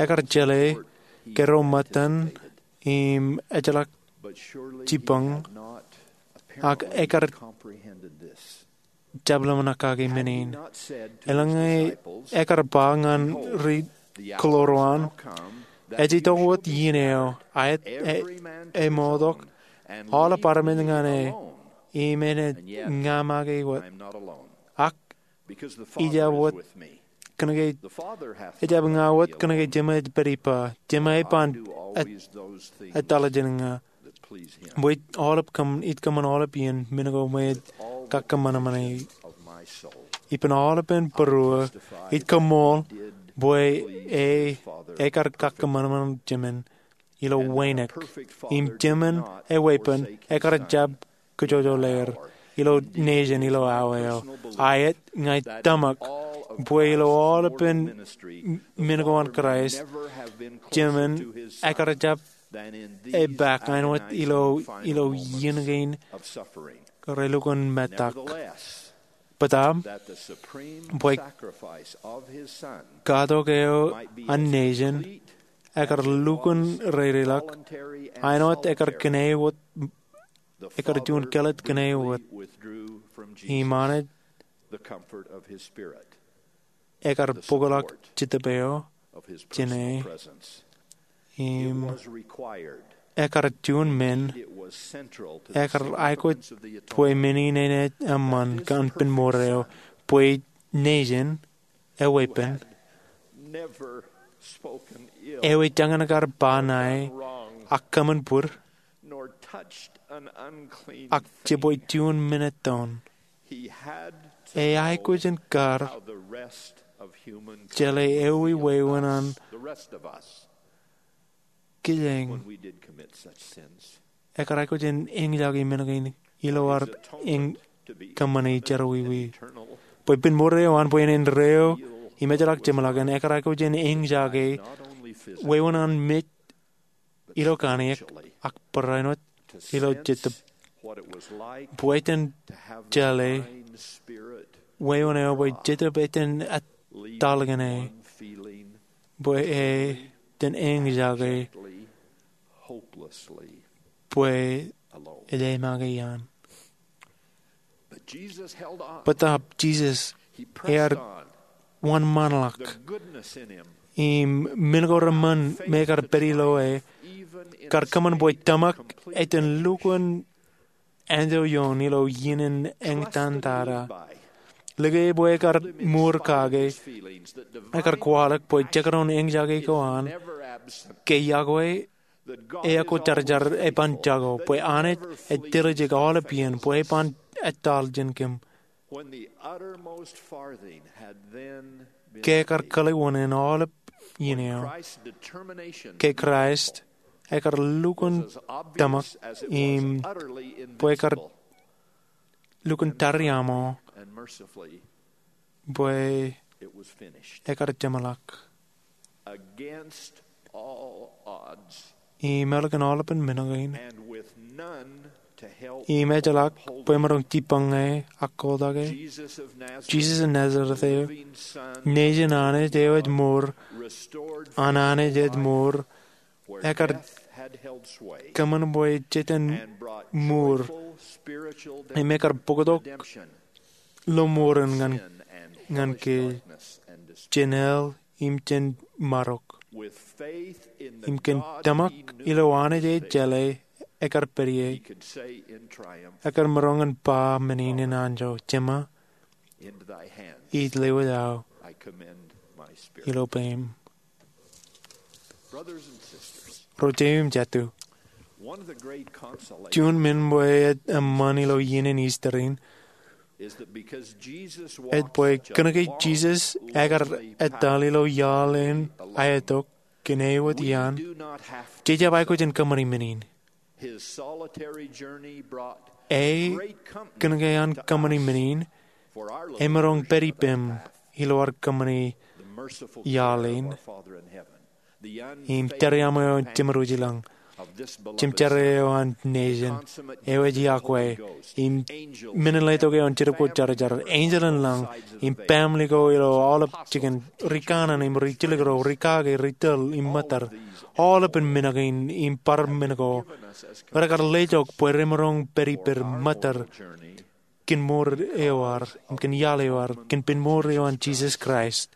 Ekar jeḷā kōjro ṃōttan im ejjeḷọk jibboñ, ak ekar jab ḷōmṇak kake men in. Eḷaññe ekar ba ñan ri kōḷoor eo an, Ej itok wōt iien eo, aet, e, emoottok, aolep armej ñan e, im enaaj ña make wōt. Ak ejab wōt kōnke, ejab ña wōt kōnke Jema ej pād ippa. Jema eban etal jān ña, bwe ij kōṃṃan aolep iien men ko me ej kakkōṃanṃan eō. Ippān aolepen būruō ij koṃṃool bwe e, ekar kakkōṃanṃan Jemen ilo wānōk, im Jemen eweeppān ekar jab kōjojol er ilo nejin ilo awa eo. Aet, ña ij tōmak bwe ilo aolepen men ko an Kraist, Jemen ekar jab epaak āinwōt ilo, ilo iien kein relukkuun metak. Bōtaab, bwe katok eo an nejin ekar lukkuun reireḷọk, āinwōt ekar kine wōt, ekar juon kellet kine wōt, im Anij ekar bōkḷọk Jetōb eo jān e, im ekar juon men ekar aikuj bwe men in enaaj eṃṃan ñan penmour eo, bwe nejin eweeppān, eo ejjañin kar ba ṇae ak kōṃanbōd, ak jebwe juon men ettoon. E aikuj in kar jeḷā ewi wāween an kōj. Ekar aikuj in eñjake men kein ilo ad kōṃṃane jerọwiwi. Bwe penmour eo an bwe en indeeo im ejjeḷọk jeṃḷọkin, ekar aikuj in eñjake wāween an mej ilo kaniōk, ak barāinwōt ilo Jetōb, bwe jen jeḷā wāween eo bwe Jetōb ej etal kōn e, bwe e jen eñjake bwe ej make iaan. Bōtaab Jisōs ear wōnṃaanḷọk, im men ko reṃṃan me ekar pād ilo e kar kōṃṃan bwe tōmak ej jen lukkuun āindeeo ioon ilo iien in eñtaan tata. Likūt bwe ekar mour kake, ekar kwaḷọk bwe jekdọọn eñjake ko an, ke iọkwe e ekwe jarjar, eban jako bwe Anij ej tiljek aolep iien bwe eban etal jān kōm. Ke ekar kōḷewanien aolep iien eo, ke Kraist ekar lukkuun tōmak im bwe ekar lukkuun tariaṃo bwe ekar jeṃḷọk. Im ālikin aolepen men kein, im ejjeḷọk bwe emaroñ jibbañe ak kotak e, Jisōs in Nazareth eo, Nejin Anij eo ej mour, an Anij ej mour, ekar kōṃṃan bwe jej jen mour, im ekar bōktok lọmọọren ñan, ñan kōj jān hell im jān marok. Im kōn tōmak ilo Anij ej jeḷā ekar pād ie, ekar maroñ in ba men in anjọ, Jema, ij lewōj aō ilo peiṃ. Ro jeiū im jatū, juon men bwe ej eṃṃan ilo iien in Easter in ej bwe kōnke Jisōs ekar etal ilo iaḷ in aetok kōn e wōt iaan, jej jab aikuj in kōṃṃani men in. E, kōnke an kōṃṃani men in, emaroñ pād ippem ilo ad kōṃṃani iaḷ in. Im tariaṃo eo an Jemedwōj ilañ, Jemjerā eo an Nejin eo ej iọkwe, im men in letok eo an Jetōb Kwōjarjar, enjeḷ in lañ, im pāmili ko ilo aolep jikin, ri kanaan im ri jilkinro, ri kake, ri tōl im ṃōttad, aolepen men kein im bar men ko rekar letok bwe remaroñ pād ipped ṃōttad kōn mour eo ad, im kōn iaḷ eo ad, kōn pen mour eo an Jisōs Kraist,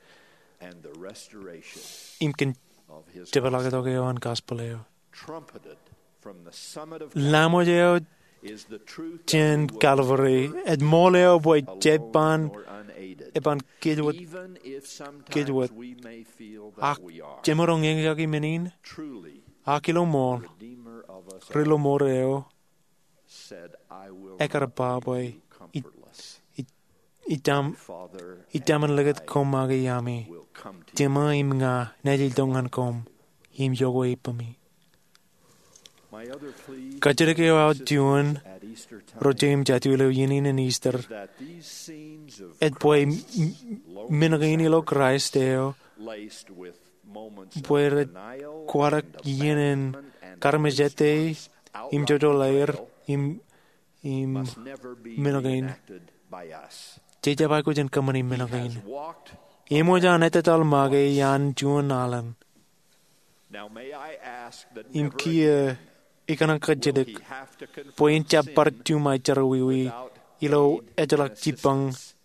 im kōn jepḷaaktok eo an gospel eo. Laṃōj eo jān Calvary. Ej ṃool eo bwe jeban, eban kōjwōt, kōjwōt. Ak jemaroñ eñjake men in, ak ilo ṃool, Ri-lọmọọr eo ekar ba bwe, ij, ij, ij tam, ij tamen likūt koṃ make iaami. Jema im ña naaj itok ñan koṃ im iọkwe ippaṃi. Kajjitōk eo aō juon ro jeim jatulō iien in Easter, ej bwe m-, m-, men kein ilo Kraist eo, bwe rej kwaḷọk iien in karmejāte im jojoḷāer im, im men kein, jejjab aikuj in kōṃṃani men kein. Eṃōj an ettōtaḷ make iaan juon alen. Im kiiō ikōṇaan kajjitōk bwe en jab bar juṃae jerọwiwi ilo ejjeḷọk jibbañ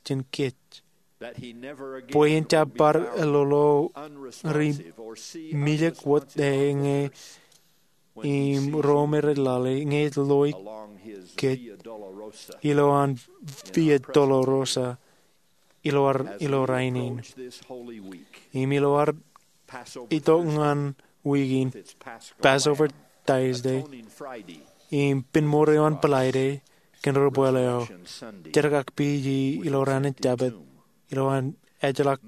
jān kōj, bwe en jab bar elolo ri mijek wōt e ñe im ro me rej lale ñe ej loi kōj ilo an Via Dolorosa ilo ar, ilo rainin. Im ilo ad itok ñan wiik in, Passover Thursday im Pinṃoor eo an Pulaide kōn ri bwil eo, jerkakpeje ilo raan in Jabōt ilo an ejjeḷọk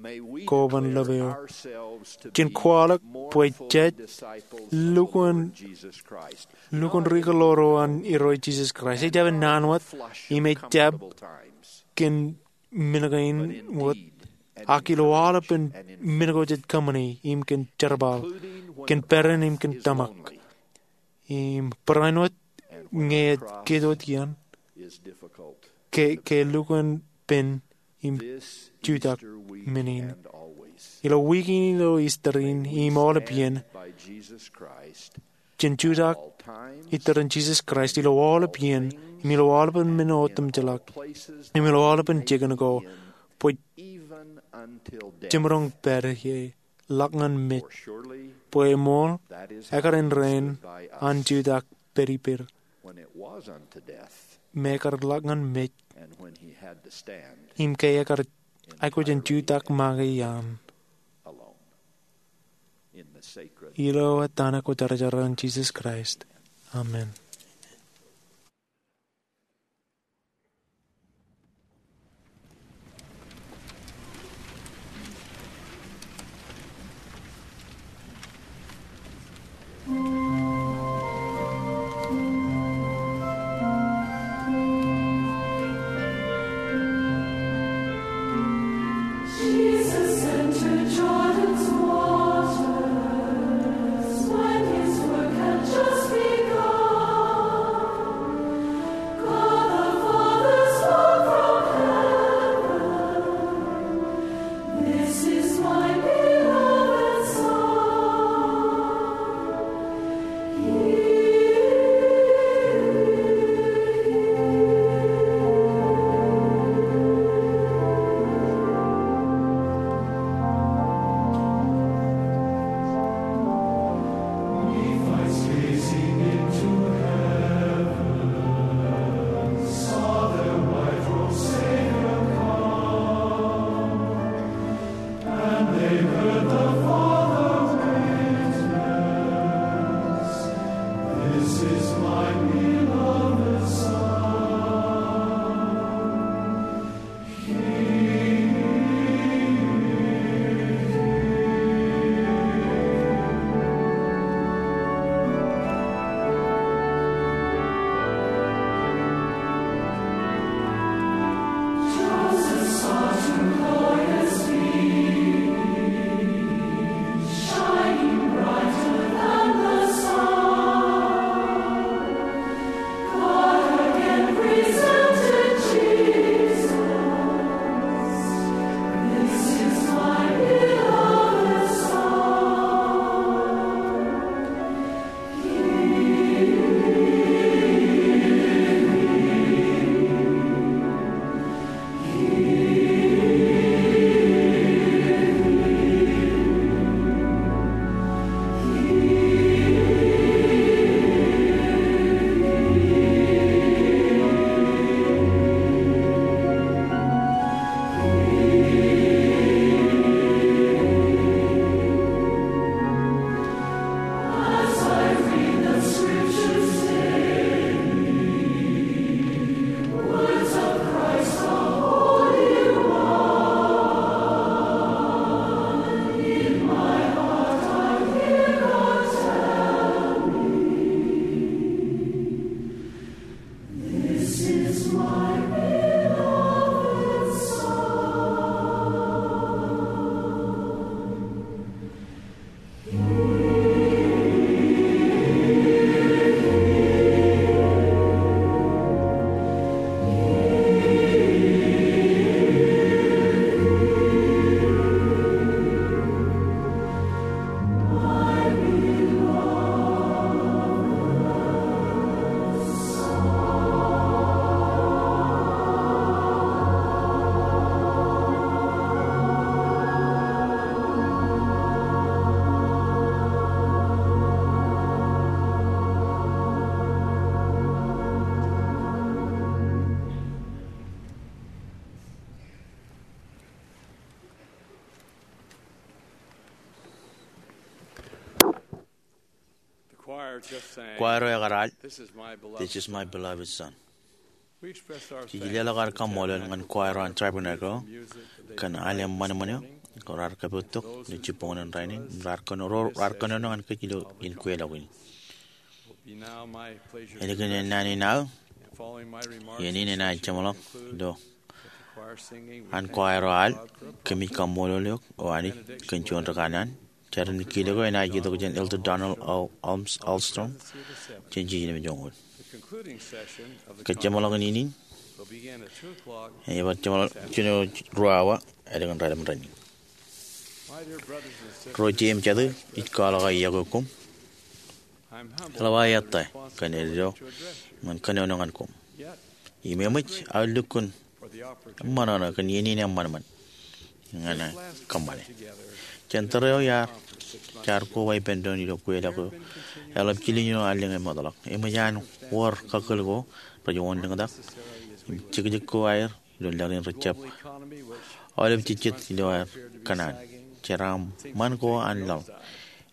koban lōb eo, jen kwaḷọk bwe jej lukkuun, lukkuun ri-kōḷḷoor eo an Irooj Jisōs Kraist. Ejjab naan wōt im ejjab kōn men kein wōt, ak ilo aolepān men ko jej kōṃṃani im kōn jerbal, kōn peran im kōn tōmak. Im barāinwōt ñe ej kōjwōt iaan, ke, ke lukkuun pen im jutak men in. Ilo wiik in ilo Easter in im aolep iien, jen jutak iturūṃ Jisōs Kraist ilo aolepān iien, im ilo aolepān men otemjeḷọk, im ilo aolepān jikin ko, bwe jemaroñ pād ie, ḷak ñan mej, bwe eṃool, ekar enrein an jutak pād ippād, me ekar ḷak ñan mej, im ke ekar aikuj in jutak make iaan. Ilo etan ekwōjarjar an Jisōs Kraist. Amen. Kwaer eo ekar al, "This is my beloved son." Jej leḷọk ad kaṃṃoolol ñan kwaer eo an Tabernacle kōn al eṃṃanṃan eo, ko raar kapotok ilo jibboñōn rainin, raar kōnono, raar kōnono ñan kōj ilo iien kweilọk in. Ālikin ennaan in aō, iien in enaaj jeṃḷọk ilo an kwaer eo al, kōmij kaṃṃoolol eok eo Anij kōn juon rūkanaan. Jar in kiiō ko enaaj itok jān Elder Donald O. Alms-, Ahlstrom jān jiljino im joñoul. Kōjeṃḷọkin iien in ebar jeṃḷọk jān ruo awa ālikin raelep in rainin. Ro jeiū im jatū, ij kwaḷọk aō iọkwe koṃ. Eḷap aō ettā kōn eddo im kōnono ñan koṃ. Im eṃōj aō lukkuun ṃōṇōṇō kōn iien in eṃṃanṃan ñan kōṃṃane. Jān tōre eo iar, jaar koba ippān doon ilo kweilọk eo, eḷap jiljino allōñ e mootḷọk. Eṃōj an wōr kakōl ko rej wōnlōñtak im jekjek ko aer ilo laḷ in rejjab aolep jejjet ilo aer kōṇaan. Jeraaṃṃan ko an laḷ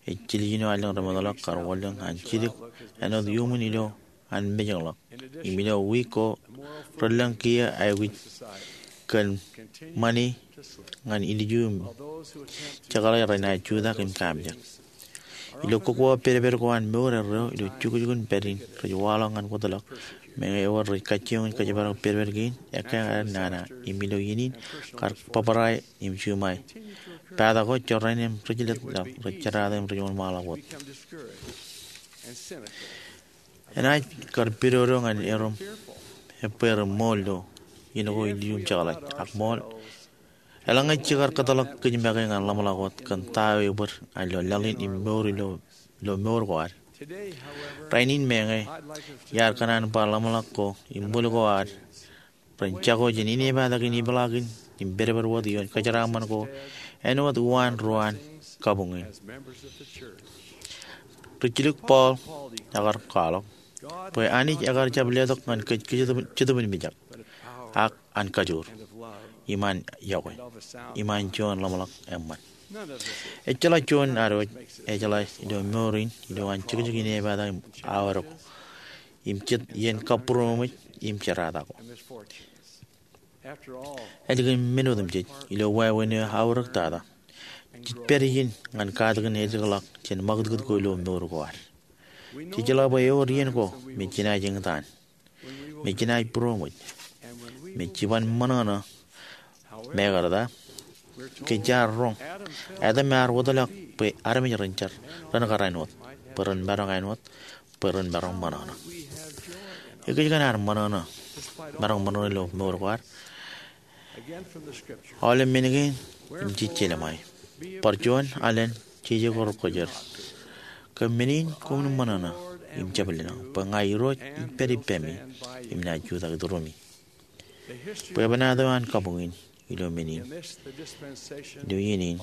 ej jiljino allōñ remootḷọk kar wōnlōñ an jidik āinwōt iuṃwin ilo an mejañḷọk. Im ilo wiik ko relōñ kiiō aikuj kōn ṃani ñan ilju im jekḷaj renaaj jutak im kaamijak. Ilo kōkowa pedped ko an mour erreo ilo jukjuk in pād in rej waḷọk ñan wōtlọk, meñe ewōr rej kajjioñ in kōjparok pedped kein, ekkā aer nana, im ilo iien in kar bōbrae im juṃae. Pata ko jorrāān im rijilōk ḷọk, rej jeratak im rej wōnṃaanḷọk wōt. Enaaj kar pidodo ñan erom ebbeer im ṃool ilo iien ko ilju im jekḷaj, ak ṃool. Eḷaññe jekar kōtḷọk kōj make ñan ḷōmṇak wōt kōn ta eo ebōd an ilo laḷ in im mour ilo, ilo mour ko ad. Rainin meñe iar kōṇaan ba ḷōmṇak ko im ṃool ko ad ren jako jān inepatakin, ipeḷaakin im pedped wōt ioon kōjeraaṃṃan ko āinwōt uwaan ro an kabuñ in. Rijjilōk Paul ekar kwaḷọk bwe Anij ekar jab letok ñan kōj Jetōbin Mijak, ak an kajoor, im an iọkwe, im an juon ḷōmṇak eṃṃan. Ejjeḷọk juon ad wōj ejeḷā ilo mour in ilo an jekjek inepata im aorōk im jet iien kabbūroṃōj im jerata ko. Ālikin men otemjej ilo wāween eo aorōktata, jej pād ijin ñan katakin eddekḷọk jān ṃakūtkūt ko ilo mour ko ad. Jej jeḷā bwe ewōr iien ko me jenaaj eñtaan, me jenaaj būroṃōj, me jiban ṃōṇōṇō. Mekarta, ke jaar roñ, Adam ear wōtlọk bwe armej ren jar, ren kar āinwōt, bwe ren maroñ āinwōt, bwe ren maroñ ṃōṇōṇō. Ekōjkan ad ṃōṇōṇō, maroñ ṃōṇōṇō ilo mour ko ad. Aolep men kein im jej jelṃae. Bar juon alen jeje ko rekwōjarjar. Kōn men in koṃwin ṃōṇōṇō im jab lōḷñọñ, bwe ña Irooj ij pād ippemi im naaj jutak ituruṃi. Bwebwenato an kabuñ in ilo men in, ilo iien in,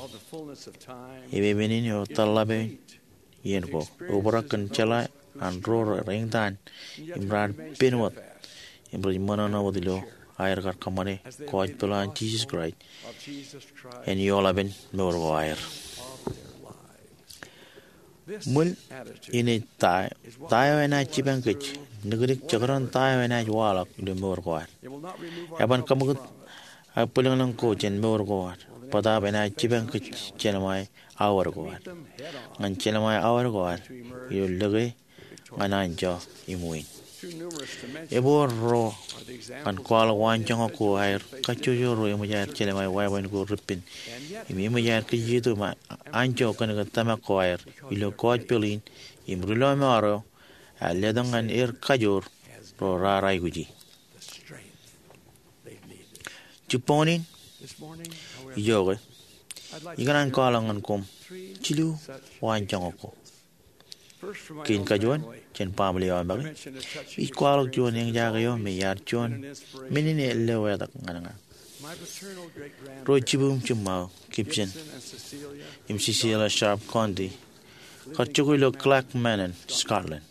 epepen in eo tōllap eo iien ko, obrak kōn jeḷā an ro rej eñtaan im raar pen wōt im rej ṃōṇōṇō wōt ilo aer kar kōṃṃane kōjpel eo an Jisōs Kraist en ioḷapen mour ko aer. Ṃwil in ej ta, ta eo enaaj jipañ kōj, nikdik jekdọọn ta eo enaaj waḷọk ilo mour ko ad. Eban kaṃakūt aō bwilōñlōñ ko jān mour ko ad, bōtaab enaaj jipañ kōj jelṃae awa ko ad. Ñan jelṃae awa ko ad ilo lōke ñan anjọ im wāween. Eboor ro an kwaḷọk waanjoñak ko aer kajjojo ro eṃōj aer jelṃae wāween ko repen. Im eṃōj aer kijejeto im anjọ kōnke tōmak ko aer ilo kōjpel in im ri lọmọọr eo ear letok ñan er kajoor ro raar aikuji. Jibboñōn in, ijoke, ikōṇaan kwaḷọk ñan koṃ jilu waanjoñak ko. Kein kajuon, jān baaṃle eo aō make, ij kwaḷọk juon eñjake eo me iar juon men in elleweetak ñan ña. Ro jibūṃ jiṃṃaō, Gibson im Cecilia Sharp Condie, kar jokwe ilo Clackmannan, Scotland.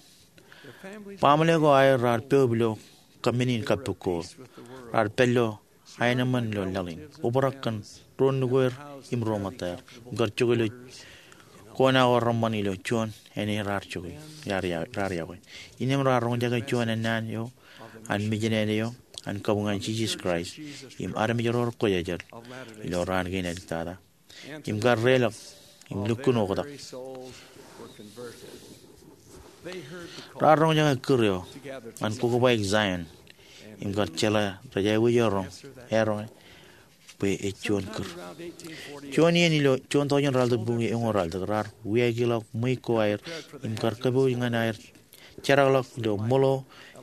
Baaṃle ko aer raar poub ilo men in kappok ko. Raar pād ilo aenōṃṃan ilo laḷ in, obrak kōn ro nukweer im ro ṃōttaer, im kar jokwe ilo Kōṇaan ko reṃṃan ilo juon āne raar jokwe, raar ia-, raar iọkwe. Innām raar roñjake juon ennaan eo an mejān āne eo an kabuñ an Jisōs Kraist im armej ro kwōjarjar ilo raan kein āliktata im kar deḷọñ im lukkuun oktak. Raar roñjake kūr eo an kokobaik Zion im kar jeḷā rej aikuj eroñ, eroñ bwe ej juon kūr. Juon iien ilo juon tọujin ralitōk bukwi eñoul ralitōk, raar wiaikḷọk ṃweiuk ko aer im kar kōpooj ñan aer jerakḷọk ilo ṃōḷo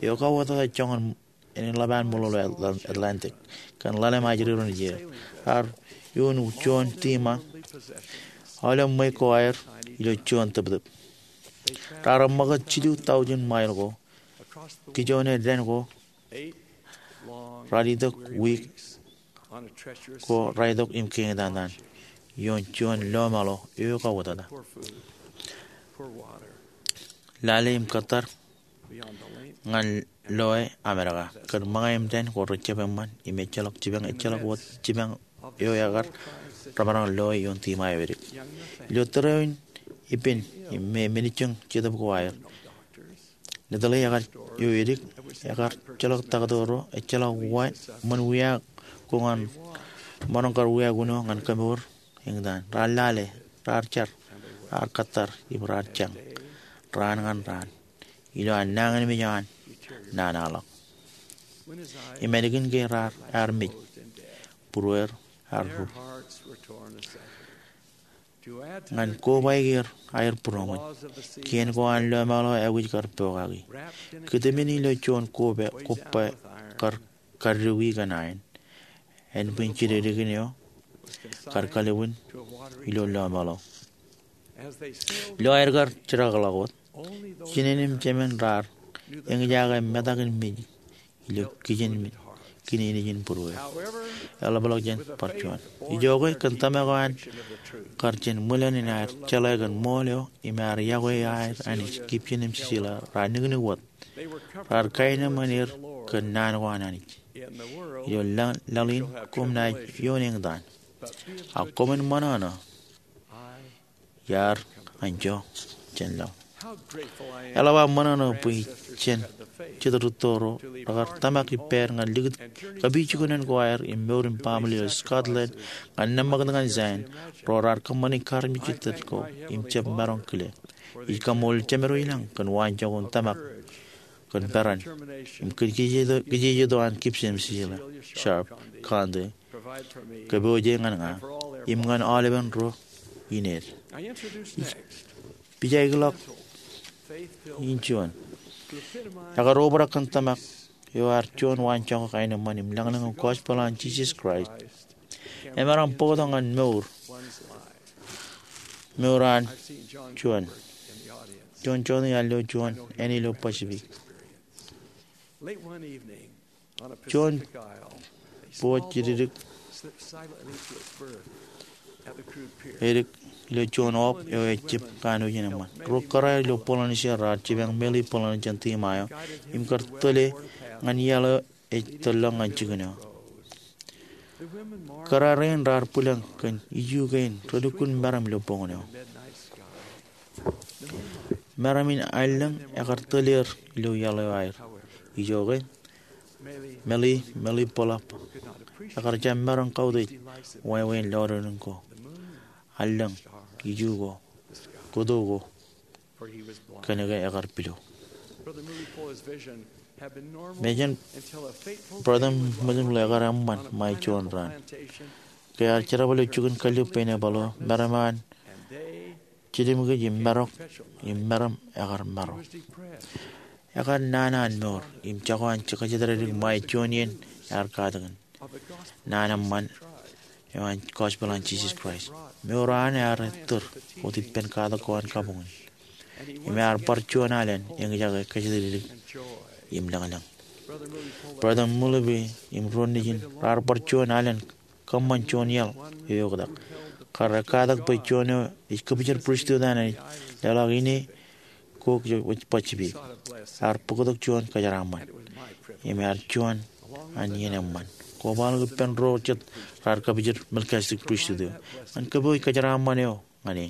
eo kauwōtata joñan āne ḷap an ṃōḷo ilo Atl-, Atlantic kōn ḷalem ajri ro nejier. Raar ioon juon tima aolep ṃweiuk ko aer ilo juon tōptōp. Raar ṃōkaj jilu tọujin mail ko, kijoone dān ko, raar itok wiik ko, raar itok im kein eñtaan ioon juon lọmọọr eo kauwōtata. Lale im kōttar ñan loe Amerika kōn ṃōñā im dān ko rejjab eṃṃan im ejjeḷọk jipañ, ejjeḷọk wōt jipañ eo ekar remaroñ loe ioon tima eo edik. Ilo tōre in ippān im me minijjōñ jetōb ko aer, lōtōḷe ekar eo edik, ekar ejjeḷọk taktō ro, ejjeḷọk wa ṃōn wia ko ñan maroñ kar wia kuno ñan kemour eñtaan. Raar lale, raar jar, raar kōttar im raar jañ raan ñan raan ilo an nañinmej an nana ḷọk. Im ālikin ke raar armej, būrueir ear rūp. Ñan kobaik er aer būroṃōj, kien ko an lọmọọr eo aikuj kar pokaki. Kūtmān ilo juon koba, kobba kar, kar diwi kōn aen, ānbwin jidikdik in eo kar kalubwin ilo lọmọọr. Ilo aer kar jirakḷọk wōt, jinen im jemān raar eñjake metak in mej ilo kijenmej, kine nejin būrueir. Eḷapḷọk jān bar juon. Ijoke kōn tōmak eo an kar jān ṃwilen in aer jeḷā kōn ṃool eo im aer iọkwe aer Anij kipjen im jijeḷā, raar niknik wōt. Raar kaenōṃṃan er kōn naan ko an Anij. Ilo laḷ, laḷ in koṃ naaj ioon eñtaan, ak koṃwin ṃōṇōṇō iar anjọ jān laḷ. Eḷap aō ṃōṇōṇō bwe jen jet rūtto ro rekar tōmak ippāer ñan likūt kapijuknen ko aer im mour im baaṃle ilo Scotland ñan neṃṃakūt ñan Zion, ro raar kōṃṃani kaarmejjitōk ko im jab maroñ kile. Ij kaṃṃoolol Jemedwōj ilañ kōn waanjoñak in tōmak kōn peran im kōn kijejeto, kijejeto an Gibson, Sisila, Sharp, Conte, kōpooje ñan ña im ñan aolepen ro ined. Ij pijaikḷọk in juon. Ekar obrak kōn tōmak eo an juon waanjoñak aenōṃṃan im lañlōñ in gospel an Jisōs Kraist emaroñ bōktok ñan mour, mour an juon. Juon jota iar lo juon āne ilo Pacific. Juon booj jidikdik edik ilo juon oop eo ejjab kanooj in eṃṃan. Ro kōrā ilo Polynesia raar jipañ Meli Polan jān tima eo im kar tōle ñan iaḷ eo ej tōllọk ñan jikin eo. Kōrā rein raar bwilōñ kōn iju kein relukkuun meram ilo boñōn eo. Meram in allōñ ekar tōl er ilo iaḷ eo aer. Ijoke, Meli, Meli Polop, ekar jab maroñ kautiej wāween lọdidin ko, allōñ, iju ko, koto ko, kōnke ekar pilo. Mejān Brother Meli Polop ekar eṃṃan ṃae juon raan. Ke ear jerbal ilo jikin kallib pein Epalō, meram an jitōmkij im marok, im meram ekar maro. Ekar nana an mour im jako an kajatdikdik ṃae juon iien ear katakin naan eṃṃan eo an gospel an Jisōs Kraist. Mour eo an ear ettōr wōt ippān katak ko an kabuñ in. Im ear bar juon alen eñjake kajatdikdik im lañlōñ. Brother Mulupi im ro nejin raar bar juon alen kōṃṃan juon iaḷ eo eoktak. Kar ekkatak bwe juon eo ej kōpijor pristut an Anij, leḷọk ine ko ej bajjepik. Ear bōktok juon kōjeraaṃṃan im ear juon an iien eṃṃan. Kobaḷọk ippān ro jet raar kōpijor Melchizedek pristut eo ñan kōpooj kōjeraaṃṃan eo ñan e.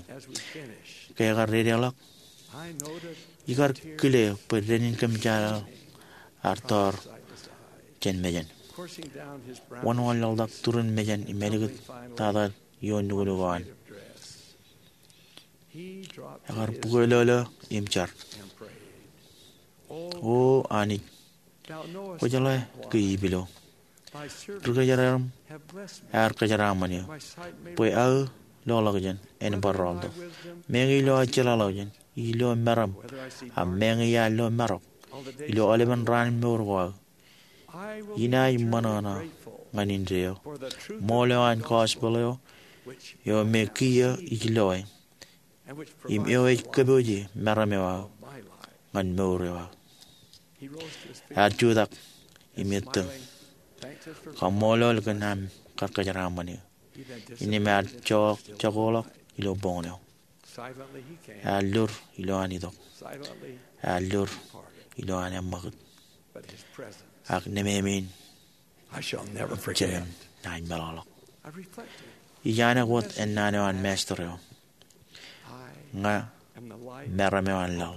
Ke ekar dedeḷọk, ikar kile bwe dān in kōmjālọḷọk ar tọọr jān mejān. Wōnṃaanḷọk turin mejān im āliktata ioon nuknuk eo an. Ekar bukwelolo im jar, O Anij, kwōjeḷā ke ipilo. Ri kōjeraaṃ ear kōjeraaṃṃan eō bwe aō loḷọkjeṇ en bar rọọltok. Meñe ilo aō jeḷāḷọkjeṇ, ilo meram, ak meñe iar lo marok, ilo aolepen raan in mour ko aō, inaaj ṃōṇōṇō ñan indeeo, ṃool eo an gospel eo, eo me kiiō ij loe, im eo ej kōpooje meram eo aō ñan mour eo aō. Ear jutak im ettōñ, kaṃṃoolol kōn aṃ kar kōjeraaṃṃan eō. Innām ear jokḷọk ilo boñōn eo. Ear lur ilo an itok. Ear lur ilo an eṃṃakūt. Ak nemāmein jemān naaj meḷọkḷọk. Ij āne wōt ennaan eo an Master eo. Ña meram eo an laḷ,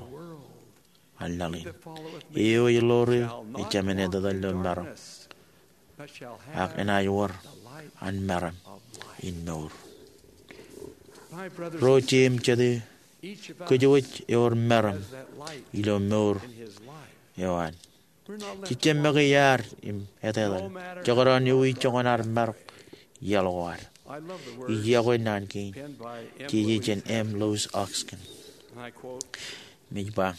an laḷ in. Eo ej ḷoor eō ejāmin etetal ilo meram, ak enaaj wōr an meram in mour. Ro jeiū im jete, kōjwōj ewōr meram ilo mour eo an. Jej jab make iaad im etetal. Jekdọọn ewi joñan ad marok iaḷ ko ad. Ij iọkwe naan kein, jeje jān M. Lowes Oskin, im ej ba,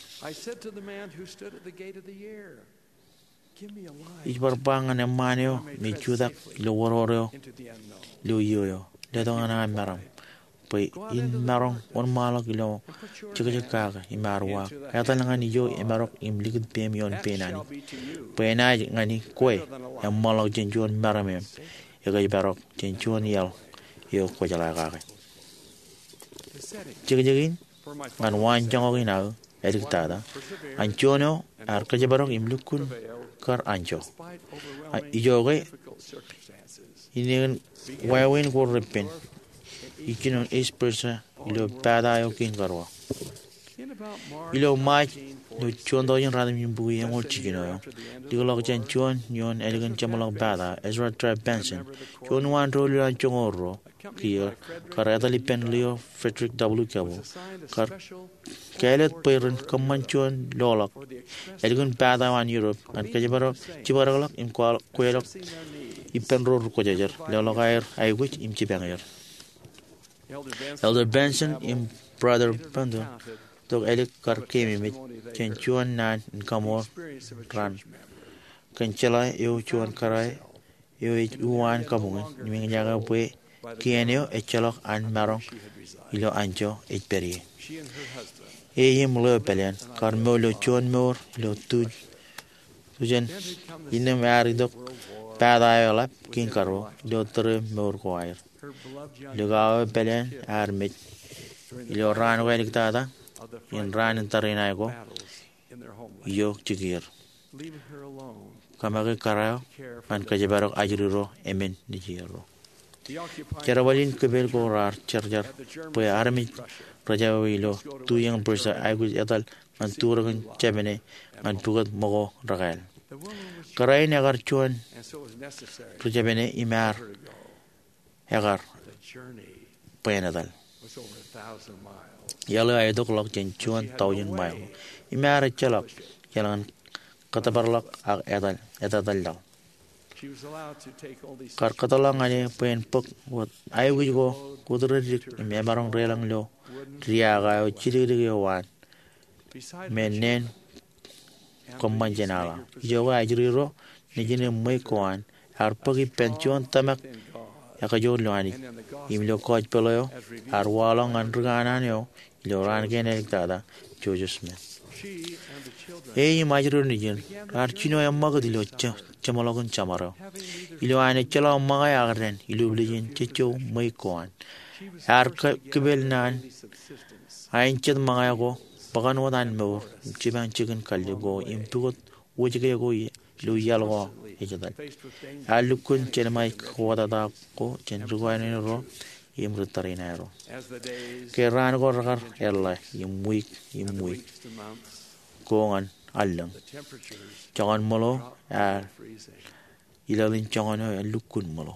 Ij bar ba ñan eṃṃaan eo me jutak ilo wōrwōr eo ilo iiō eo, letok ñan aō meram bwe in maroñ wōnṃaanḷọk ilo jekjekkake im ad uwaak. Etal ñan ijo emarok im likūt peiṃ ioon pein Anij, bwe enaaj ñan kwe eṃṃanḷọk jān juon meram im ekōjparok jān juon iaḷ eo kwōjeḷā kake. Jekjekin ñan waanjoñak in aō āliktata an juon eo ear kōjparok im lukkuun kar anjọ. Ijoke, ineen wāween ko repen, ij jino in eis pursa ilo pata eo kein karuo. Ilo Ṃaaj ilo juon tọujin ratimjuonbukwi eñoul jiljino eo, likḷọk jān juon ioon ālikin jeṃḷọk pata, Ezra Taft Benson, juon uwaan doulul an joñoul ruo kiiō, kar etal ippān Leo Frederick W. Kimball, kar kāālōt bwe ren kōṃṃan juon loḷọk ālikin pata eo an Europe ñan kōjparok jibadekḷọk im kwaḷọk kweilọk ippān ro ri kwōjarjar, leḷọk aer aikuj im jipañ er. Elder Benson im Brother Bendall tok ālik kar keememej jān juon naan in kaṃool raṇ kōn jeḷā eo juon kōrā eo ej uwaan kabuñ in im eñjake bwe kien eo ejjeḷọk an maroñ ilo anjọ ej pād ie. E im ḷeo pāleen kar mour ilo juon mour ilo tuj, tujen innām ear itok pata eo eḷap kein karuo ilo tōre mour ko aer. Likao eo pāleen ear mej ilo raan ko āliktata in raan in tariṇae ko ioon jikier, kōmake kōrā eo ñan kōjparok ajri ro emān nejier ro. Jerbal in kipel ko raar jarjar bwe armej rej aō ilo tuieñ pursa aikuj etal ñan turekan jepāne ñan pukot ṃōko rekāāl. Kōrā in ekar juon ri jepāne im ear ekar bwe en etal. Iaḷ eo aetokḷọk jān juon tọujin mile im ear ejjeḷọk iaḷ ñan kōttōpar ḷọk ak etal, etetal laḷ. Kar kōtḷọk ñan e bwe en bōk wōt aikuj ko wōt reddik im emaroñ deḷọñ ilo diaaka eo jidikdik eo an me neen kōṃṃan jān aḷa. Ijoke ajri ro nejin im ṃweiuk ko an ear bōk ippān juon tōmak ekajoor ilo Anij im ilo gospel eo ear waḷọk ñan ri kanaan eo ilo raan kein āliktata, Joseph Smith. E im ajri ro nejin raar jino eṃṃakūt ilo je, jeṃḷọkin jeṃṃar eo. Ilo an ejjeḷọk ṃōñā ak dān ilo lijin jejjo ṃweiuk ko an, ear kipel naan aenjet ṃōñā ko, bōkan wōt an mour im jipañ jikin kallib ko im pukot wōjke ko ilo iaḷ ko ej etal. Ear lukkuun jeṇ ṃae kōtata ko jān ri kōṇaan ro im ri tariṇaedo. Ke raan ko rekar eḷḷā im wiik im wiik ko ñan allōñ, joñan ṃōḷo ear ilaḷ in joñan eo ear lukkuun ṃōḷo.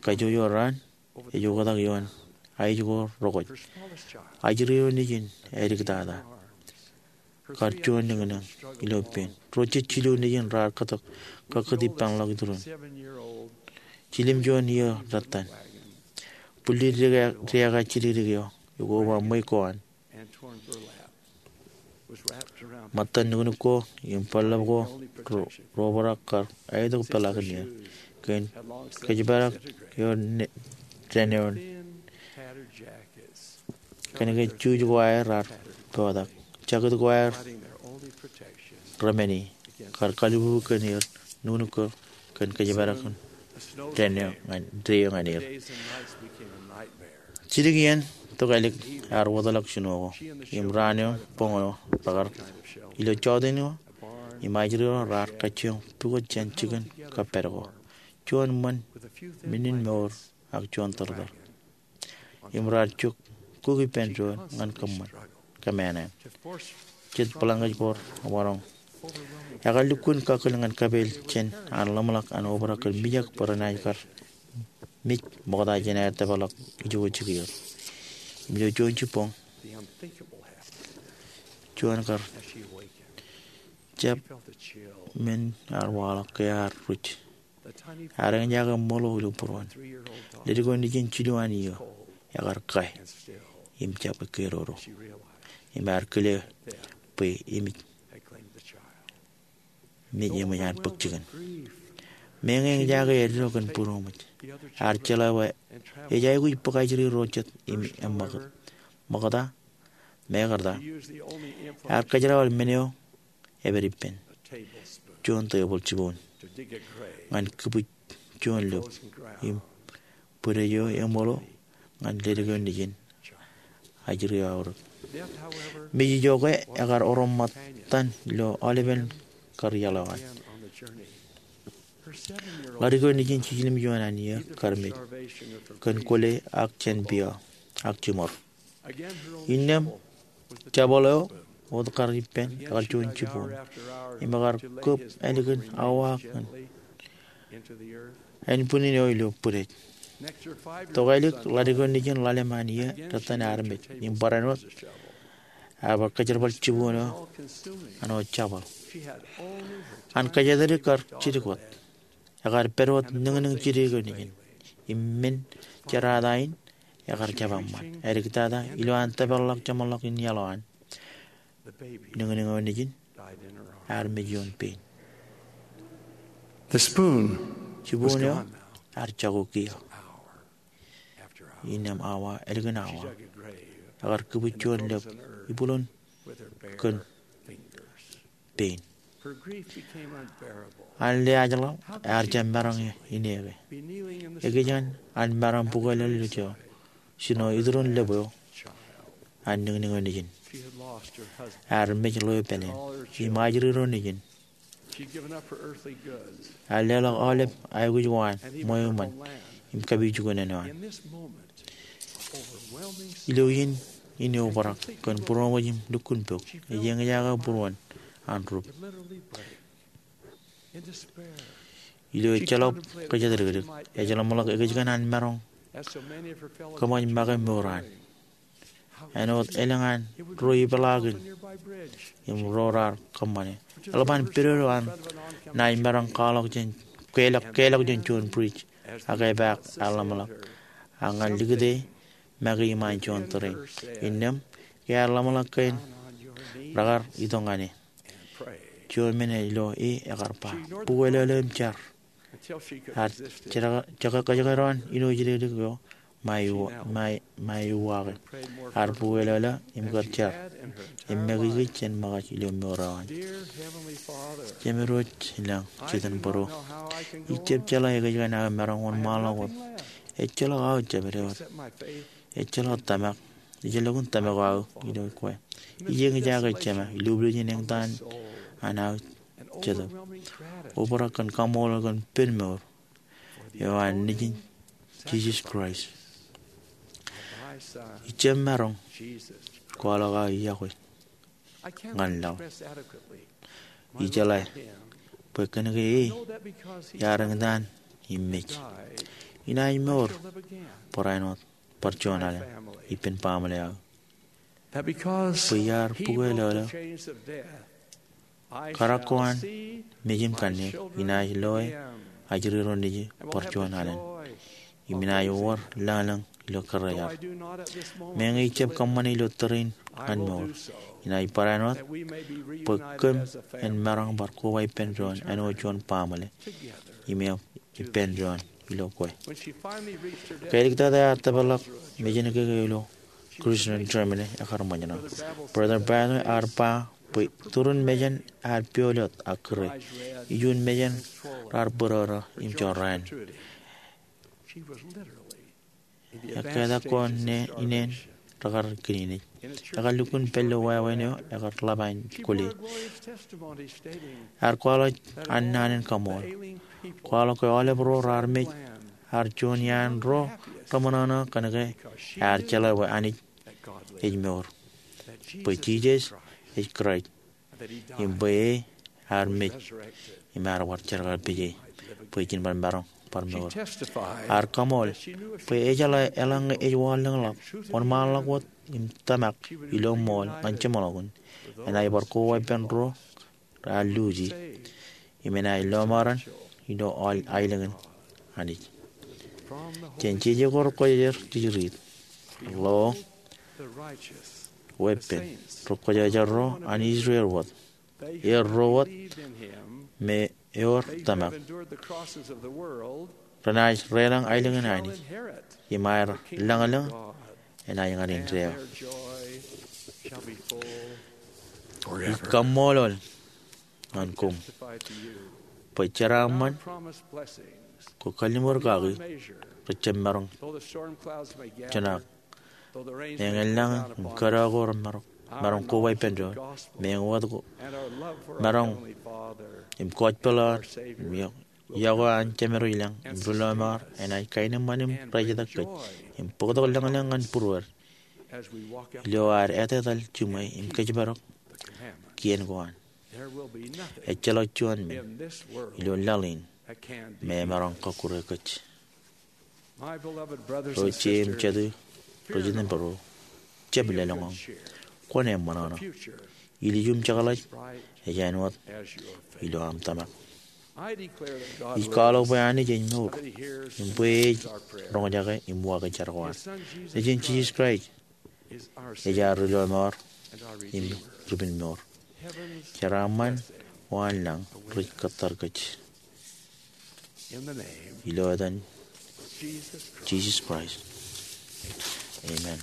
Kajjojo raan ej oktak ioon aij ko rekwōj. Ajri eo nejin āliktata kar juon niñniñ ilo pein. Ro jet jilu nejin raar kōtōk kakkōt ippānḷọk iturin. Jiljilimjuon iiō dettan, bwillididik diak eo jidikdik eo ekoba ṃweiuk ko an. Ṃōttan nuknuk ko im bar lab ko ro obrak kar aetok peḷaakin er. Kōn kōjparok eo, dān eo, kōn ke juuj ko aer raar potak, jakūt ko aer remeni kar kalbubu kōn er nuknuk ko kōn kōjparok in dān eo ñan, dān eo ñan er. Jidik iien tokālik ear wōtlọk jino ko im raan eo boñōn eo rekar ilo jota eo im ajri ro raar kajjioñ pukot jān jikin kappad ko, juon ṃōn men in mour ak juon tōrtōr. Im raar juk kuk ippān doon ñan kōṃṃan, kōṃṃan jet bōlañkij ko emaroñ. Ekar lukkuun kakkōl ñan kapeel jān an ḷōmṇak an obrak kōn mijak bwe renaaj kar mej ṃokta jān aer tōparḷọk ijoko jikier. Im ilo juon jibboñ juon kar jab men ear waḷọk ke ear ruj. Ear eñjake ṃōḷo ilo būruon. Ledik eo nejin jilu an iiō ekar kae im jab ekkedodo. Im ear kile bwe emej, mej eṃōj an bōk jikin. Meñe eñjake eddo kōn būroṃōj, ear jeḷā bwe ej aikuj bōk ajri ro jet im eṃṃakūt. Ṃokta, mekarta, ear kōjeraol men eo epād ippān, juon tebōḷ jiboon, ñan kibwij juon lōb im bwidej eo eṃōḷo ñan ledik eo nejin ajri eo aorōk. Mej ijo ke ekar oroṃṃan ilo aolepen kar iaḷ eo an. Ḷadik eo nejin jiljilimjuon an iiō kar mej kōn kwōle ak jān piaḷ ak jiṃor. Innām jabōḷ eo wōt kar ippān ekar juon jibboñ im ekar kōb ālikin awa ñan ānbwinnin eo ilo bwidej. Tokālik ḷadik eo nejin ḷalem an iiō dettan ear mej im barāinwōt ear bar kōjerbal jibboñ eo an wōt jabōḷ. An kōjatdikdik kar jidik wōt. Ekar pād wōt niñniñ jidik eo nejin im men jerata in ekar jab eṃṃan. Āliktata ilo an tōparḷọk jeṃḷọk in iaḷ eo an, niñniñ eo nejin ear mej ioon pein. Jibboñ eo ear jako kiiō. Innām awa ālikin awa ekar kibwij juon lōb ibwilōñ kōn pein. An leaajḷọk ear jab maroñ ineke. Ekōjkan an maroñ bukweilọlel ijo jino iturin lōb eo an niñniñ eo nejin. Ear mej ḷeo pāleen im ajri ro nejin. Ear leḷọk aolep aikuj ko an, ṃweo iṃōn im kapijuknen eo an. Ilo iien in eobrak kōn būroṃōj im lukkuun pok, ej eñjake būruon an rup. Ilo ejjeḷọk kōjatdikdik, ej ḷōmṇak ekōjkan an maroñ kōṃṃan make mour an. Āinwōt elōñ an ro ipeḷaakin im ro raar kōṃṃane. Eḷap an pedodo an naaj maroñ kwaḷọk jān, keḷọk, keḷọk jān juon bridge ak epaak ear ḷōmṇak ak ñan likūt e make iṃaan juon tōre in. Innām ke ear ḷōmṇak kein, rekar itok ñan e. Juon men ilo e ekar ba, bukweilōlō im jar. Ear jekajekdọọn ilo jidikdik eo ṃae, ṃae, ṃae uwaake. Ear bukweilōlō im kar jar im make kij jān ṃōkaj ilo mour eo an. Jemem Irooj ilañ, Jitōnbōro, ij jab jeḷā ekōjkan aō maroñ wōnṃaanḷọk wōt. Ejjeḷọk aō jabdewōt. Ejjeḷọk tōmak. Ejjeḷọkin tōmak eo aō ilo kwe. Ij eñjake Jema ilo ubōjjāān eñtaan an aō Jetōb. Obrak kōn kaṃṃoolol kōn pen mour eo an nejin Jisōs Kraist. Ij jab maroñ kwaḷọk aō yokwe ñan laḷ. Ijeḷā bwe kōnke e ear eñtaan im mej, inaaj mour barāinwōt bar juon alen ippān baaṃle aō. Bwe iar bukwe lolo, kar ko an mej im kanniōk, inaaj loe ajri ro neje bar juon alen, im inaaj wōr lañlōñ ilo kōrā eo. Meñe ij jab kōṃṃane ilo tōre in ñan mour, inaaj barāinwōt bwe kōm en maroñ bar koba ippān doon āinwōt juon baaṃle im ippān doon ilo kwe. Ke āliktata ear tōparḷọk mejānkeke ilo Christian Germany, ekar ṃōjṇọ. Brother Basler ear ba bwe turin mejān ear piolōt ak kūre. Ijin mejān raar bōroro im jorrāān. Ekkā ko ṇe ineen rekar kininej. Ekar lukkuun pād ilo wāween eo ekar ḷap an kwōle. Ear kwaḷọk an naan in kaṃool. Kwaḷọk ke aolep ro raar mej ear juon iaan ro reṃōṇōṇō kōnke ear jeḷā bwe Anij ej mour, bwe Jisōs ej Kraist, im bwe e ear mej im ear bar jerkakpeje bwe ijin bar maroñ bar mour. Ear kaṃool bwe ejeḷā eḷaññe ej wanlōñḷọk, wōnṃaanḷọk wōt im tōmak ilo ṃool ñan jeṃḷọkin, enaaj bar koba ippān ro raar luuji im enaaj lọmọọren ilo aelōñ in Anij. Jān jeje ko rekwōjarjar ri-Jisriit, lo, weeppān, rekwōjarjar ro an Israel wōt, er ro wōt me ewōr tōmak, renaaj reḷañ aelōñ in Anij, im aer lañlōñ enaaj ñan indeeo. Ij kaṃṃoolol ñan koṃ bwe jeraaṃṃan ko kalliṃur kaki rej jab maroñ jenaak. Meñe lañ im kōdọ ko remaroñ, maroñ koba ippān doon, meñe wōt ko maroñ im gospel eo an, im yokwe an Jemem ro ilañ im ri lọmọọr enaaj kaenōṃṃan im rejetak kōj im bōktok lañlōñ ñan būruod ilo ad etetal jiṃwe im kōjparok kien ko an. Ejjeḷọk juon men ilo laḷ in me emaroñ kọkkure kōj. Ro jet im jete, ro jet im būruod, jab lōḷñọñ. Kwōn eṃṃanṃōṇō. Ilju im jekḷaj ej āinwōt ilo aṃ tōmak. Ij kwaḷọk bwe Anij ej mour im bwe ej roñjake im uwaake jar ko an. Nejin Jisōs Kraist ej ad ri lọmọọr im ri pinmour. Jeraaṃṃan eo an lañ rej kōttar kōj. Ilo etan Jisōs Kraist, amen.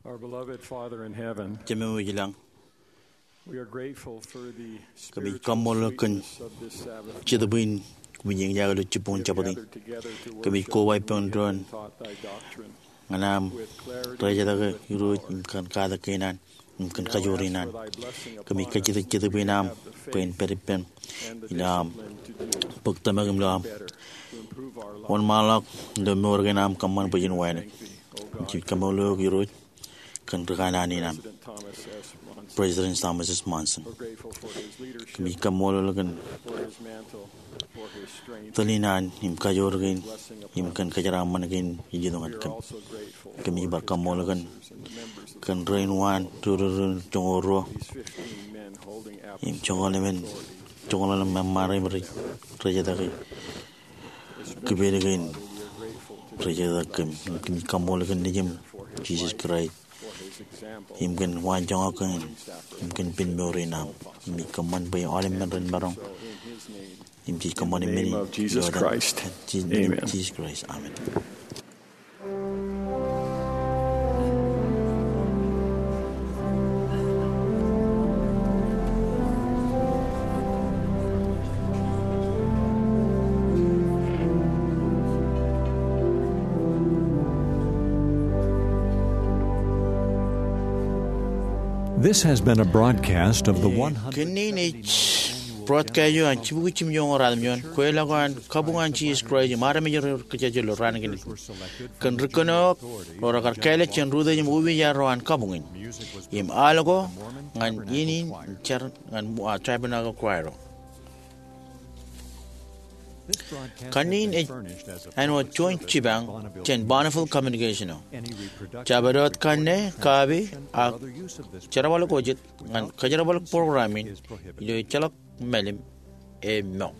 Our beloved Father in heaven, Jemem eo ej ilañ, we are grateful for the kōmij kaṃṃoolol kōn spiritual richness of this Sabbath morning. Jetōb in kōmij eñjake ilo jibboñ jabōt in. Gathered together to worship, kōmij koba ippān doon. Taught thy doctrine. Ñan aṃ rejetakin Irooj im kōn katak kein an im kōn kajoor in an. Kōmij kajjitōk Jetōb in aṃ bwe en pād ippem ilo aṃ bōk tōmak im ilo aṃ wōnṃaanḷọk ilo mour kein aṃ kōṃṃan bwe jen wānōk. Im jej kaṃṃoolol eok Irooj kōn ri kanaan in aṃ, President Thomas S. Monson. Kōmij kaṃṃoolol kōn tōl in an im kajoor kein im kōn kōjeraaṃṃan kein ej itok ñan kōm. Kōmij bar kaṃṃoolol kōn, kōn rein waan, ri ri ri joñoul ruo im joñoul emān, joñoul emān ṃare im rej, rejetakin kipel kein, rejetakin kōm. Kōmij kaṃṃoolol kōn Nejiṃ Jisōs Kraist im kōn waanjoñak kein im kōn pen mour in aṃ. Im ij kōṃṃan bwe aolep men ren maroñ. Im jej kōṃṃan men in the name of Jesus Christ. Amen. Jisōs Kraist. Amen. This has been a broadcast of the one hundred. Kōn in ej broadcast eo an jibukwi jimjuon ratimjuon, kweilọk eo an kabuñ an Jisōs Kraist im armej ro rej kōjjān ilo raan kein. Kōn ri kōnono ro rekar kāālōt jān ri-utiej im opiij ro an kabuñ in. Im al ko ñan iien in jar ñan, ah, Tabernacle Choir eo. Kaṇe in ej āinwōt juon jipañ jān Bonneville Communication eo. Jabdewōt kanne, copy, ak jerbal ko jet ñan kōjerbal program in ilo ejjeḷọk mālim e mo.